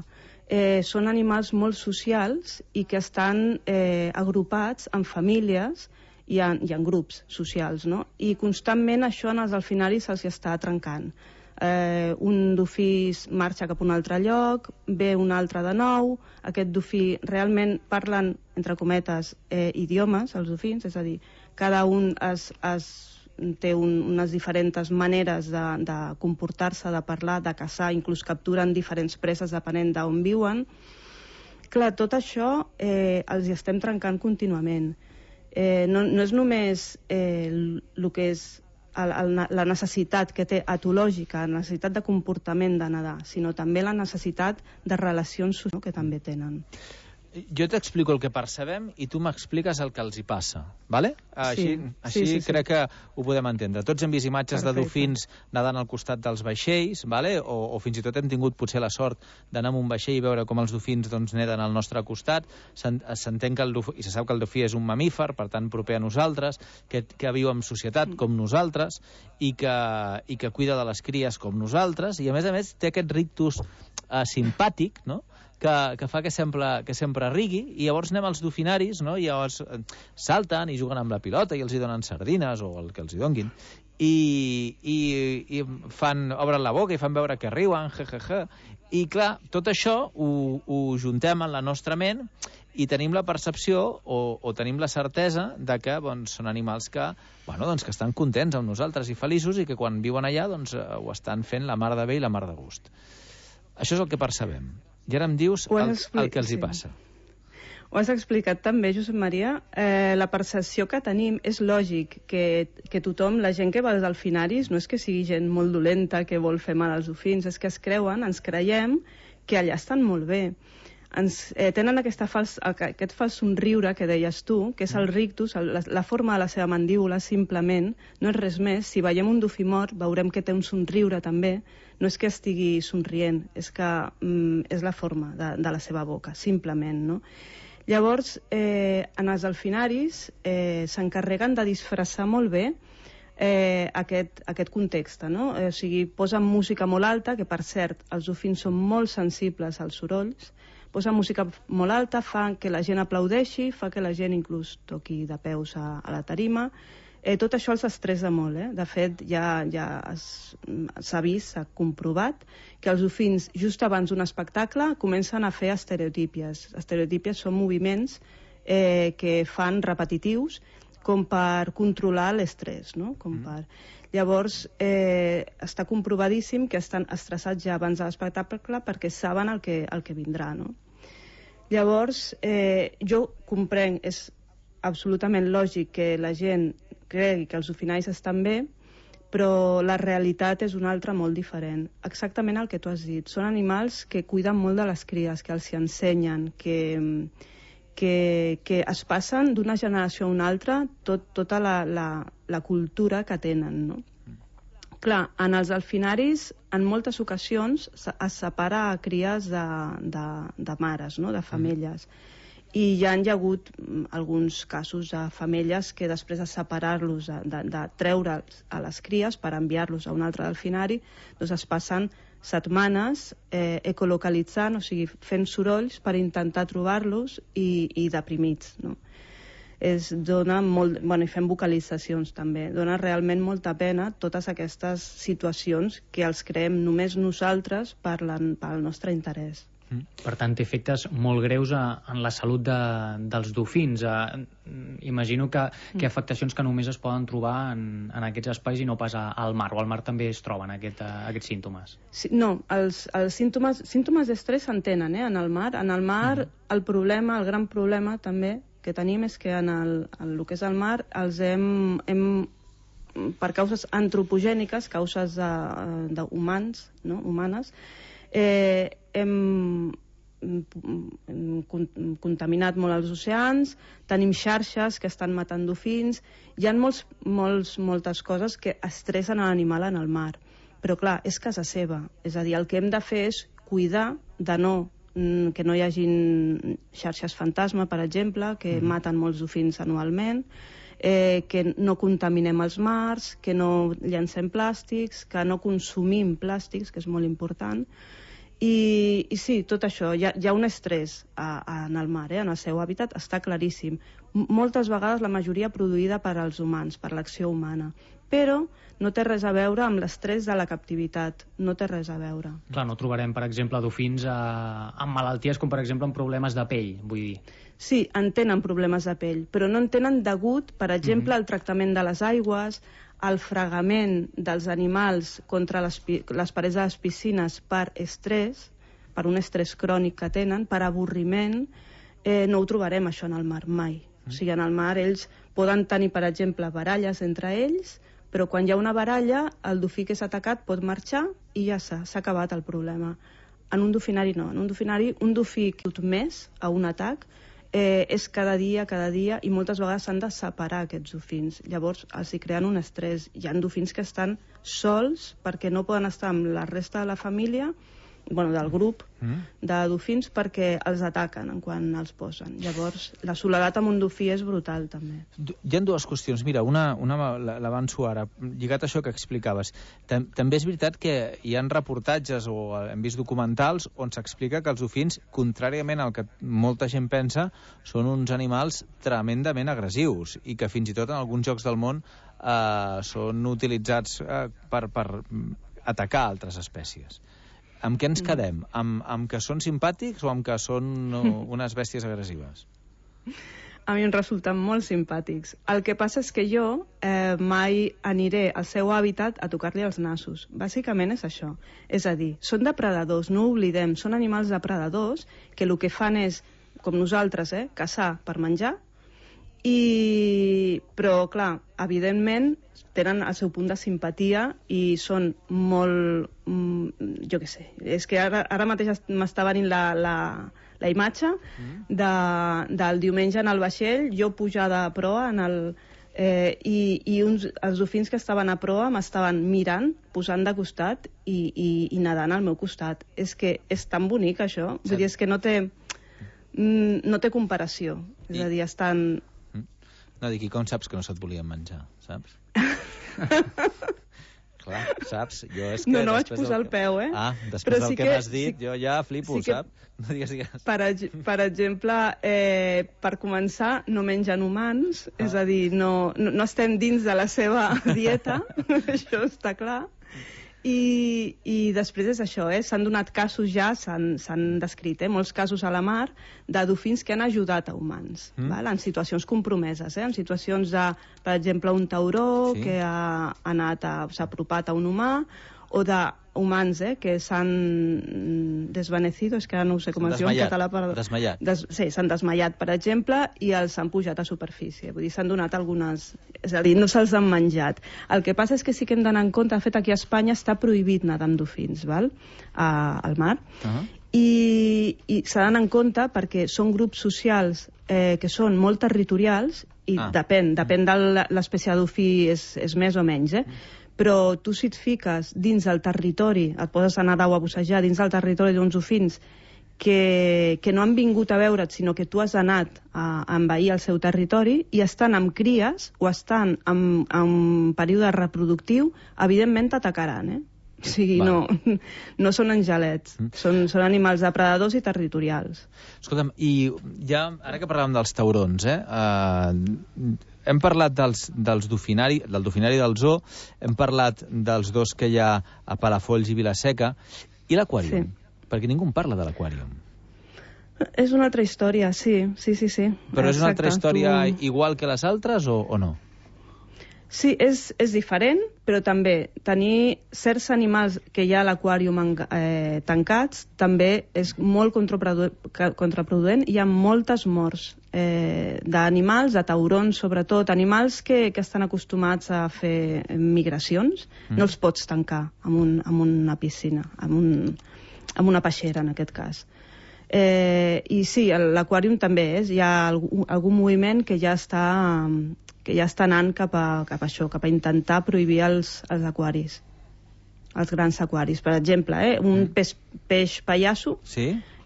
Són animals molt socials i que estan agrupats en famílies i en grups socials, no? I constantment això en els delfinaris se'ls està trencant. Un dofí marxa cap a un altre lloc, ve un altre de nou, aquest dofí realment parlen, entre cometes, idiomes, els dofins, és a dir, cada un té unes diferents maneres de comportar-se, de parlar, de caçar, inclús capturen diferents preses depenent d'on viuen. Clar, tot això els estem trencant contínuament. No és només el que és la necessitat que té etològica, la necessitat de comportament de nedar, sinó també la necessitat de relacions socials que també tenen. Jo t'explico el que percebem i tu m'expliques el que els hi passa, ¿vale? Així crec que ho podem entendre. Tots hem vist imatges de dofins nedant al costat dels vaixells, ¿vale? O fins i tot hem tingut potser la sort d'anar amb un vaixell i veure com els dofins neden al nostre costat. S'entén que i se sap que el dofí és un mamífer, per tant proper a nosaltres, que viu en societat com nosaltres i que cuida de les cries com nosaltres, i a més té aquest rictus simpàtic, no?, que fa que sempre rigui, i llavors anem als dofinaris, no?, i llavors salten i juguen amb la pilota i els hi donen sardines o el que els hi donguin, i obren la boca i fan veure que riuen, i clar, tot això ho juntem en la nostra ment i tenim la percepció o tenim la certesa de que són animals que estan contents amb nosaltres i feliços, i que quan viuen allà ho estan fent la mar de bé i la mar de gust. Això és el que percebem. I ara em dius el que els hi passa. Ho has explicat també, Josep Maria. La percepció que tenim és lògic que tothom, la gent que va als delfinaris, no és que sigui gent molt dolenta que vol fer mal als dofins, és que ens creiem que allà estan molt bé. Tenen aquest fals somriure que deies tu, que és el rictus, la forma de la seva mandíbula, simplement, no és res més. Si veiem un dofí mort, veurem que té un somriure també. No és que estigui somrient, és que és la forma de la seva boca, simplement, no? Llavors, en els delfinaris s'encarreguen de disfressar molt bé aquest context, no? O sigui, posen música molt alta, que per cert, els dofins són molt sensibles als sorolls, posen música molt alta, fa que la gent aplaudeixi, fa que la gent inclús toqui de peus a la tarima. Tot això els estressa molt, De fet, ja s'ha vist, s'ha comprovat que els dofins, just abans d'un espectacle, comencen a fer estereotípies. Estereotípies són moviments que fan repetitius com per controlar l'estrès, no? Llavors, està comprovadíssim que estan estressats ja abans de l'espectacle perquè saben el que vindrà, no? Llavors, jo comprenc, és absolutament lògic que la gent cregui que els dofinaris estan bé, però la realitat és una altra molt diferent. Exactament el que tu has dit. Són animals que cuiden molt de les cries, que els hi ensenyen, que es passen d'una generació a una altra tota la cultura que tenen, no? Clar, en els delfinaris, en moltes ocasions, es separa a cries de mares, no? De femelles. I hi ha hagut alguns casos de femelles que després de separar-los, de treure'ls a les cries per enviar-los a un altre delfinari, doncs es passen setmanes ecolocalitzant, o sigui, fent sorolls per intentar trobar-los i deprimits, no? Dona molt... Bueno, i fem vocalitzacions també. Dona realment molta pena totes aquestes situacions que els creem només nosaltres pel nostre interès. Per tant, té efectes molt greus en la salut dels dofins. Imagino que afectacions que només es poden trobar en aquests espais i no pas al mar, o al mar també es troben aquests símptomes. No, els símptomes d'estrès s'entenen en el mar. En el mar el problema, el gran problema també que tenim és que en el que és el mar els hem per causes antropogèniques, causes humanes, hem contaminat molt els oceans, tenim xarxes que estan matant dofins, hi ha moltes coses que estressen l'animal en el mar, però clar, és casa seva, és a dir, el que hem de fer és cuidar que no hi hagin xarxes fantasma, per exemple, que maten molts dofins anualment, que no contaminem els mars, que no llancem plàstics, que no consumim plàstics, que és molt important. I sí, tot això, hi ha un estrès en el mar, en el seu hàbitat, està claríssim. Moltes vegades la majoria produïda per als humans, per l'acció humana, però no té res a veure amb l'estrès de la captivitat, no té res a veure. Clar, no trobarem, per exemple, dofins amb malalties com, per exemple, amb problemes de pell, vull dir. Sí, en tenen problemes de pell, però no en tenen degut, per exemple, al tractament de les aigües, el fregament dels animals contra les parets de les piscines per estrès, per un estrès crònic que tenen, per avorriment, no ho trobarem això en el mar, mai. O sigui, en el mar ells poden tenir, per exemple, baralles entre ells, però quan hi ha una baralla, el dofí que és atacat pot marxar i ja s'ha acabat el problema. En un dofinari no. En un dofinari, un dofí que més a un atac és cada dia, i moltes vegades s'han de separar aquests dofins. Llavors els hi creen un estrès. Hi ha dofins que estan sols perquè no poden estar amb la resta de la família, del grup de dofins, perquè els ataquen quan els posen. Llavors la soledat amb un dofí és brutal també. Hi ha dues qüestions. Mira, una l'avanço ara, lligat a això que explicaves. També és veritat que hi ha reportatges o hem vist documentals on s'explica que els dofins, contràriament al que molta gent pensa, són uns animals tremendament agressius i que fins i tot en alguns llocs del món són utilitzats per atacar altres espècies. Amb què ens quedem? Amb que són simpàtics o amb que són unes bèsties agressives? A mi em resulten molt simpàtics. El que passa és que jo mai aniré al seu hàbitat a tocar-li els nassos. Bàsicament és això. És a dir, són depredadors, no ho oblidem. Són animals depredadors que el que fan és, com nosaltres, caçar per menjar. Però, clar, evidentment tenen el seu punt de simpatia i són molt... jo què sé, és que ara mateix m'està venint la imatge del diumenge en el vaixell, jo pujada a proa i els dofins que estaven a proa m'estaven mirant, posant de costat i nedant al meu costat. És que és tan bonic això, vull dir, és que no té comparació, és a dir, estan... No, dic, i com saps que no se't volien menjar, saps? Clar, saps? Jo és que no vaig posar el peu, eh? Ah, després del que m'has dit, jo ja flipo, saps? No digues. Per exemple, per començar, no mengen humans, és a dir, no estem dins de la seva dieta, això està clar. I després és això, s'han donat casos ja, s'han descrit, molts casos a la mar de dofins que han ajudat a humans, en situacions compromeses, en situacions de, per exemple, un tauró que s'ha apropat a un humà, o de humans que s'han desvanecido, és que ara no ho sé com es diu en català. Desmaiat. Sí, s'han desmaiat, per exemple, i els han pujat a superfície. Vull dir, s'han donat algunes... És a dir, no se'ls han menjat. El que passa és que sí que hem d'anar en compte, de fet, aquí a Espanya està prohibit nedar amb dofins, al mar, i s'ha d'anar en compte perquè són grups socials que són molt territorials i depèn de l'espècie de dofí és més o menys, però tu si et fiques dins del territori, et poses a nedar o a bussejar dins del territori d'uns dofins que no han vingut a veure't, sinó que tu has anat a envair el seu territori i estan amb cries o estan en període reproductiu, evidentment t'atacaran, O sigui, no són angelets, són animals depredadors i territorials. Escolta'm, i ja, ara que parlàvem dels taurons, hem parlat del dofinari del zoo, hem parlat dels dos que hi ha a Palafolls i Vilaseca, i l'aquàrium? Sí. Perquè ningú en parla de l'aquàrium. És una altra història, sí. Però és una altra història igual que les altres o no? Sí, és diferent, però també tenir certs animals que hi ha a l'aquàrium tancats també és molt contraproduent. Hi ha moltes morts d'animals, de taurons sobretot, animals que estan acostumats a fer migracions, no els pots tancar en una piscina, en una peixera en aquest cas. I sí, l'aquàrium també hi ha algun moviment que ja està anant cap a això, cap a intentar prohibir els aquaris, els grans aquaris. Per exemple, un peix pallasso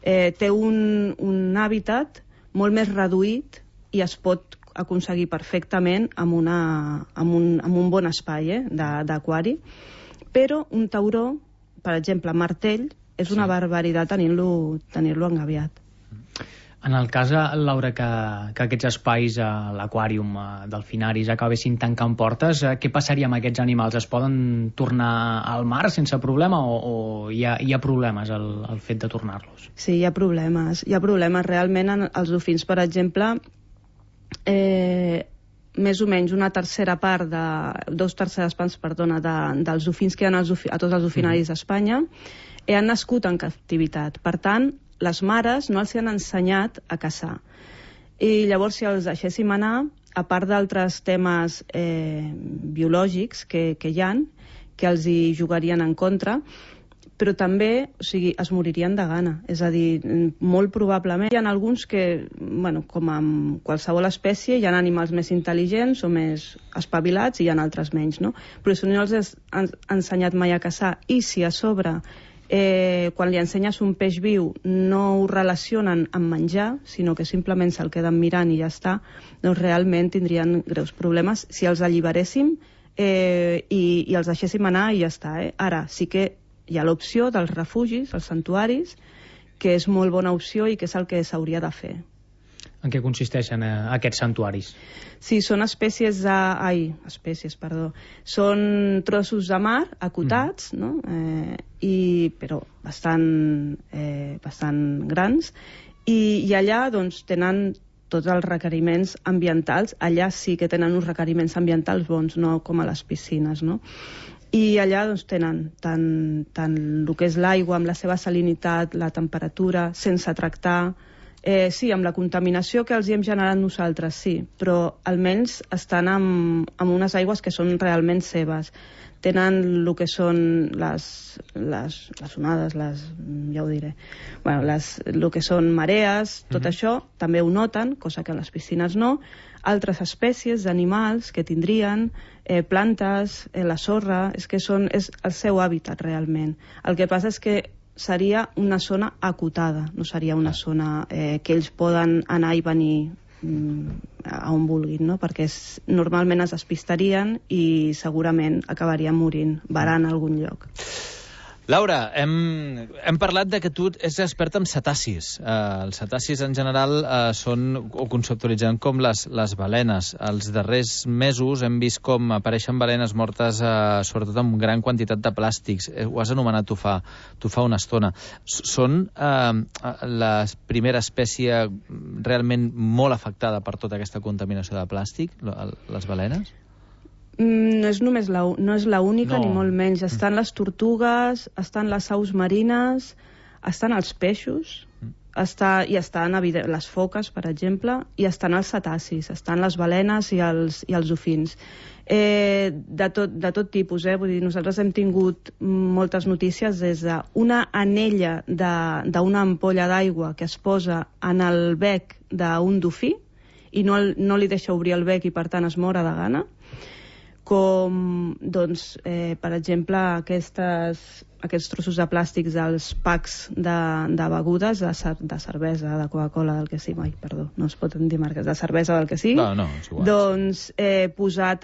té un hàbitat molt més reduït i es pot aconseguir perfectament amb un bon espai d'aquari, però un tauró, per exemple, martell, és una barbaritat tenir-lo engabiat. En el cas, Laura, que aquests espais a l'aquàrium delfinaris acabessin tancant portes, què passaria amb aquests animals? Es poden tornar al mar sense problema o hi ha problemes al fet de tornar-los? Sí, hi ha problemes. Realment, els dofins, per exemple, més o menys una tercera part, dos terceres parts, perdona, dels dofins que hi ha a tots els dofinaris d'Espanya han nascut en captivitat. Per tant, les mares no els han ensenyat a caçar. I llavors, si els deixéssim anar, a part d'altres temes biològics que hi ha, que els hi jugarien en contra, però també, es moririen de gana. És a dir, molt probablement hi ha alguns que, com amb qualsevol espècie, hi ha animals més intel·ligents o més espavilats i hi ha altres menys, no? Però si no els han ensenyat mai a caçar i si a sobre quan li ensenyes un peix viu no ho relacionen amb menjar, sinó que simplement se'l queden mirant i ja està, doncs realment tindrien greus problemes si els alliberéssim i els deixéssim anar i ja està. Ara sí que hi ha l'opció dels refugis, els santuaris, que és molt bona opció i que és el que s'hauria de fer. En què consisteixen aquests santuaris? Sí, són són trossos de mar acotats, no? Però bastant grans, i allà doncs, tenen tots els requeriments ambientals. Allà sí que tenen uns requeriments ambientals bons, no com a les piscines, no? I allà doncs, tenen tant el que és l'aigua amb la seva salinitat, la temperatura, sense tractar. Sí, amb la contaminació que els hi hem generat nosaltres, sí, però almenys estan amb unes aigües que són realment seves. Tenen el que són les onades, ja ho diré, el que són marees, tot això també ho noten, cosa que a les piscines no. Altres espècies d'animals que tindrien, plantes, la sorra, és el seu hàbitat realment. El que passa és que seria una zona acotada, no seria una zona que ells poden anar i venir a on vulguin, no? Perquè normalment es despistarien i segurament acabarien morint, varant a algun lloc. Laura, hem parlat de que tu ets experta en cetacis. Els cetacis en general o conceptualitzen com les balenes. Els darrers mesos hem vist com apareixen balenes mortes sobretot amb gran quantitat de plàstics. Ho has anomenat tu fa una estona. Són la primera espècie realment molt afectada per tota aquesta contaminació de plàstic, les balenes? No és l'única, ni molt menys. Estan les tortugues, estan les aus marines, estan els peixos, i estan les foques, per exemple, i estan els cetacis, estan les balenes i els dofins. De tot tipus, vull dir, nosaltres hem tingut moltes notícies des d'una anella d'una ampolla d'aigua que es posa en el bec d'un dofí i no li deixa obrir el bec i per tant es mor de gana, com, doncs, per exemple, aquests trossos de plàstics dels packs de begudes, de cervesa, de Coca-Cola, del que sigui, perdó, no es pot dir marques, de cervesa, del que sigui, doncs posat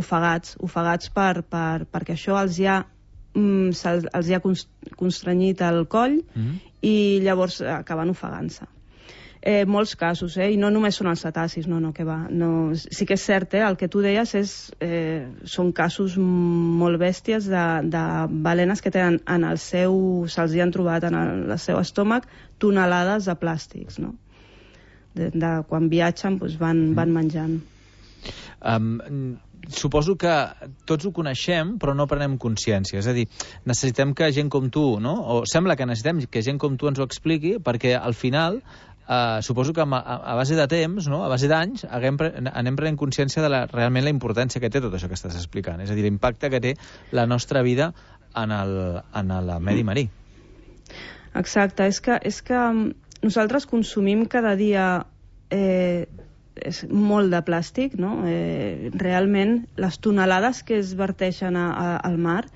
ofegats perquè això els hi ha constrenyit el coll i llavors acaben ofegant-se. Molts casos, i no només són els cetacis, no, que va. Sí que és cert, el que tu deies són casos molt bèsties de balenes que tenen se'ls hi han trobat en el seu estómac tonelades de plàstics, no? Quan viatgen van menjant. Suposo que tots ho coneixem, però no prenem consciència. És a dir, necessitem que gent com tu, no? O sembla que necessitem que gent com tu ens ho expliqui, perquè al final suposo que a base de temps, no? A base d'anys, anem prenent consciència de realment la importància que té tot això que estàs explicant. És a dir, l'impacte que té la nostra vida en el medi marí. Exacte. És que nosaltres consumim cada dia molt de plàstic, no? Realment, les tonelades que es verteixen al mar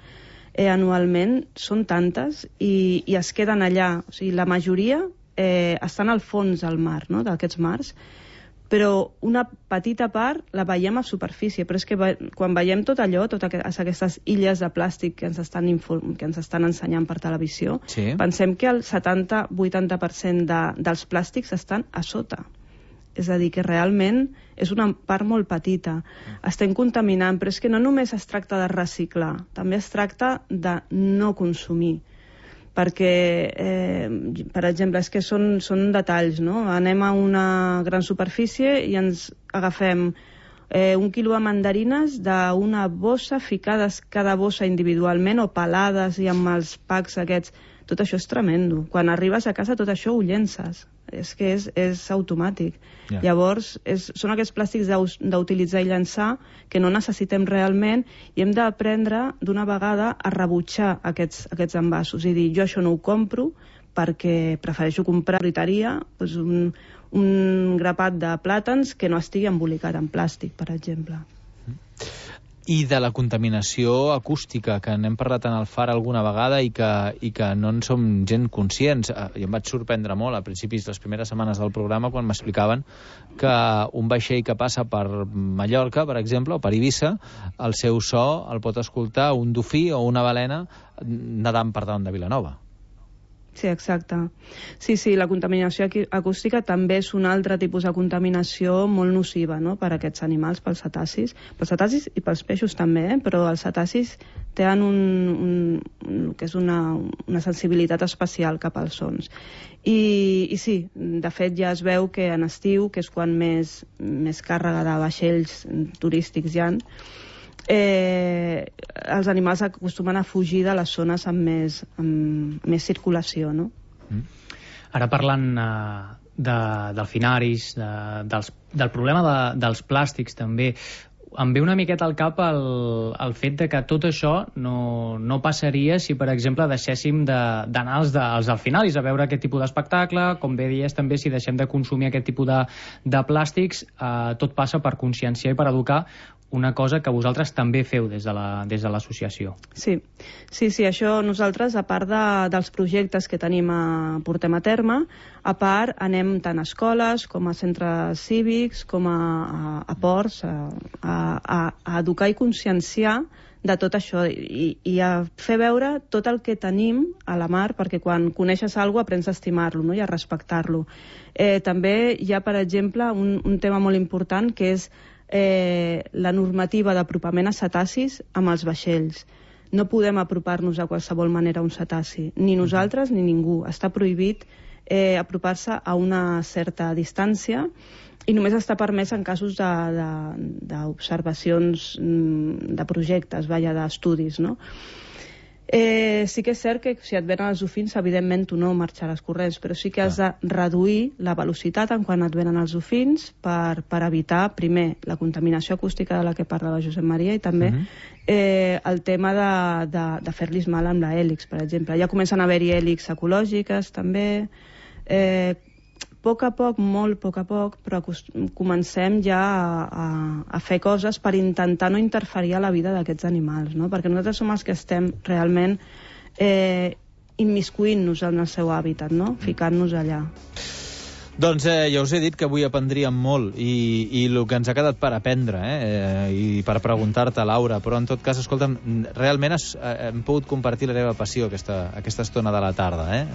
anualment són tantes i es queden allà. O sigui, la majoria estan al fons del mar, no? D'aquests mars, però una petita part la veiem a superfície, però és que quan veiem tot allò, totes aquestes illes de plàstic que ens estan ensenyant per televisió, pensem que el 70-80% dels plàstics estan a sota. És a dir, que realment és una part molt petita. Estem contaminant, però és que no només es tracta de reciclar, també es tracta de no consumir. Perquè, per exemple, és que són detalls, no? Anem a una gran superfície i ens agafem 1 quilo de mandarines d'una bossa, ficades cada bossa individualment o pelades i amb els packs aquests. Tot això és tremendo. Quan arribes a casa tot això ho llences. És que és automàtic. Llavors, són aquests plàstics d'utilitzar i llançar que no necessitem realment i hem d'aprendre d'una vegada a rebutjar aquests envasos i dir, jo això no ho compro perquè prefereixo comprar a la fruiteria un grapat de plàtans que no estigui embolicat en plàstic, per exemple. I de la contaminació acústica, que n'hem parlat en el Far alguna vegada i que no en som gent conscients. Jo em vaig sorprendre molt a principis de les primeres setmanes del programa quan m'explicaven que un vaixell que passa per Mallorca, per exemple, o per Eivissa, el seu so el pot escoltar un dofí o una balena nedant per davant de Vilanova. Sí, exacte. Sí, la contaminació acústica també és un altre tipus de contaminació molt nociva, no?, per a aquests animals, pels cetacis i pels peixos també, però els cetacis tenen que és una sensibilitat especial cap als sons. I sí, de fet ja es veu que en estiu, que és quan més càrrega de vaixells turístics hi ha, els animals acostumen a fugir de les zones amb més circulació, no? Ara parlant delfinaris, del problema dels plàstics també, em ve una miqueta al cap el fet de que tot això no passaria si, per exemple, deixéssim d'anar als delfinaris a veure aquest tipus d'espectacle. Com bé dies, també, si deixem de consumir aquest tipus de plàstics, tot passa per conscienciar i per educar una cosa que vosaltres també feu des de l'associació. Sí, això nosaltres, a part dels projectes que portem a terme, a part anem tant a escoles com a centres cívics, com a ports, a educar i conscienciar de tot això i a fer veure tot el que tenim a la mar, perquè quan coneixes alguna cosa aprens a estimar-lo, no? I a respectar-lo. També hi ha, per exemple, un tema molt important que és la normativa d'apropament a cetacis amb els vaixells. No podem apropar-nos de qualsevol manera a un cetaci, ni nosaltres ni ningú. Està prohibit apropar-se a una certa distància i només està permès en casos d'observacions de projectes, d'estudis, no? Sí que és cert que si et venen els dofins, evidentment tu no marxaràs corrents, però sí que has de reduir la velocitat en quan et venen els dofins per evitar, primer, la contaminació acústica de la que parlava Josep Maria i també el tema de fer-los mal amb l'hèlix, per exemple. Ja comencen a haver-hi hèlix ecològiques, també. A poc a poc, molt a poc a poc, però comencem ja a fer coses per intentar no interferir a la vida d'aquests animals, no? Perquè nosaltres som els que estem realment immiscuint-nos en el seu hàbitat, no? Ficant-nos allà. Doncs ja us he dit que avui aprendríem molt i el que ens ha quedat per aprendre i per preguntar-te, Laura, però en tot cas, escolta'm, realment hem pogut compartir la teva passió aquesta estona de la tarda.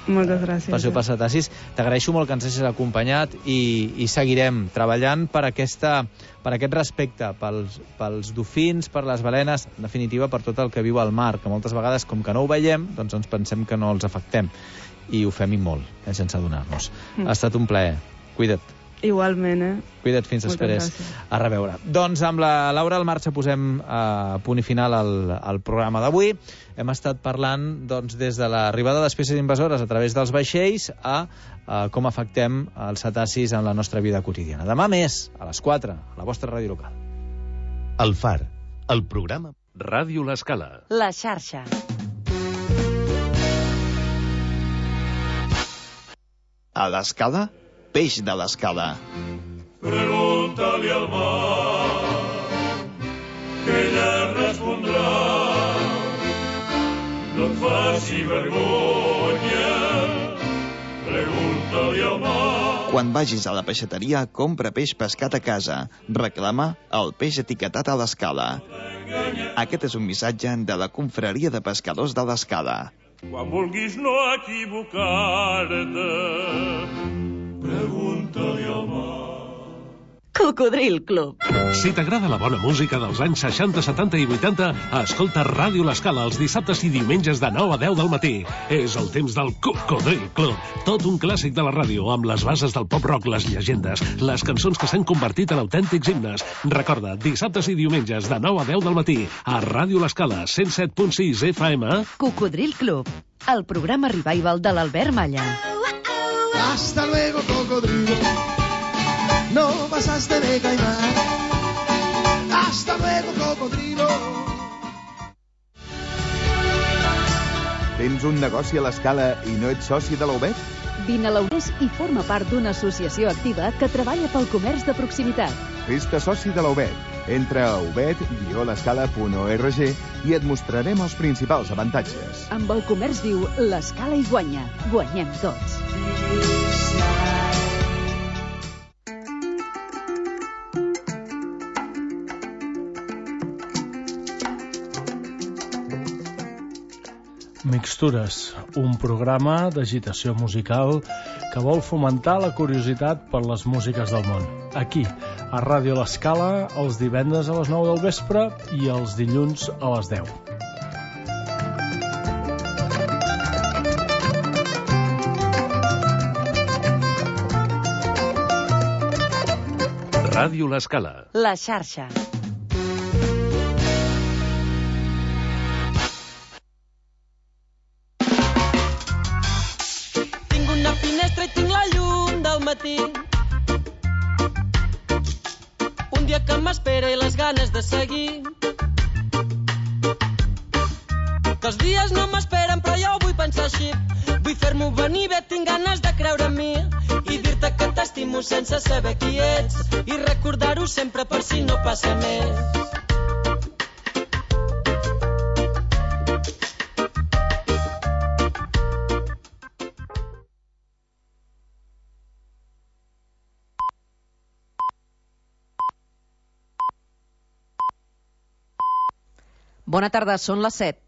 Moltes gràcies. Passió per cetacis. T'agraeixo molt que ens hagis acompanyat i seguirem treballant per aquest respecte pels dofins, per les balenes, en definitiva per tot el que viu al mar, que moltes vegades, com que no ho veiem, doncs ens pensem que no els afectem. I ho fem i molt, sense adonar-nos. Ha estat un plaer. Cuida't. Igualment, Cuida't fins després. A reveure. Doncs amb la Laura al Marxa posem punt i final al programa d'avui. Hem estat parlant des de l'arribada d'espècies invasores a través dels vaixells a com afectem els cetacis en la nostra vida quotidiana. Demà més, a les 4, a la vostra ràdio local. El Far, el programa... Ràdio L'Escala. La xarxa. A l'Escala, peix de l'Escala. Pregunta-li al mar, que ella respondrà. No et faci vergonya, pregunta-li al mar. Quan vagis a la peixateria, compra peix pescat a casa. Reclama el peix etiquetat a l'Escala. Aquest és un missatge de la Confraria de Pescadors de l'Escala. Quan vulguis no equivocar-te, pregunta-li al mar. Cocodril Club. Si t'agrada la bona música dels anys 60, 70 i 80, escolta Ràdio L'Escala els dissabtes i diumenges de 9 a 10 del matí. És el temps del Cocodril Club. Tot un clàssic de la ràdio, amb les bases del pop-rock, les llegendes, les cançons que s'han convertit en autèntics himnes. Recorda, dissabtes i diumenges de 9 a 10 del matí, a Ràdio L'Escala, 107.6 FM. Cocodril Club, el programa revival de l'Albert Malla. Hasta luego, cocodrilo. No pasaste de caimán. Hasta luego, cocodrilo. Tens un negoci a l'Escala i no ets soci de l'UBET? Vine a l'UBET i forma part d'una associació activa que treballa pel comerç de proximitat. Fes-te soci de l'UBET. Entra a ubet-l'escala.org i et mostrarem els principals avantatges. Amb el comerç viu, l'Escala hi guanya. Guanyem tots. Mixtures, un programa d'agitació musical que vol fomentar la curiositat per les músiques del món. Aquí, a Ràdio L'Escala, els divendres a les 9 del vespre i els dilluns a les 10. Ràdio L'Escala. La xarxa. Un dia que m'espera i les ganes de seguir, que els dies no m'esperen però jo ho vull pensar així. Vull fer-m'ho venir bé, tinc ganes de creure en mi i dir-te que t'estic t'estimo sense saber qui ets i recordar-ho sempre per si no passa més. Bona tarda, són les 7.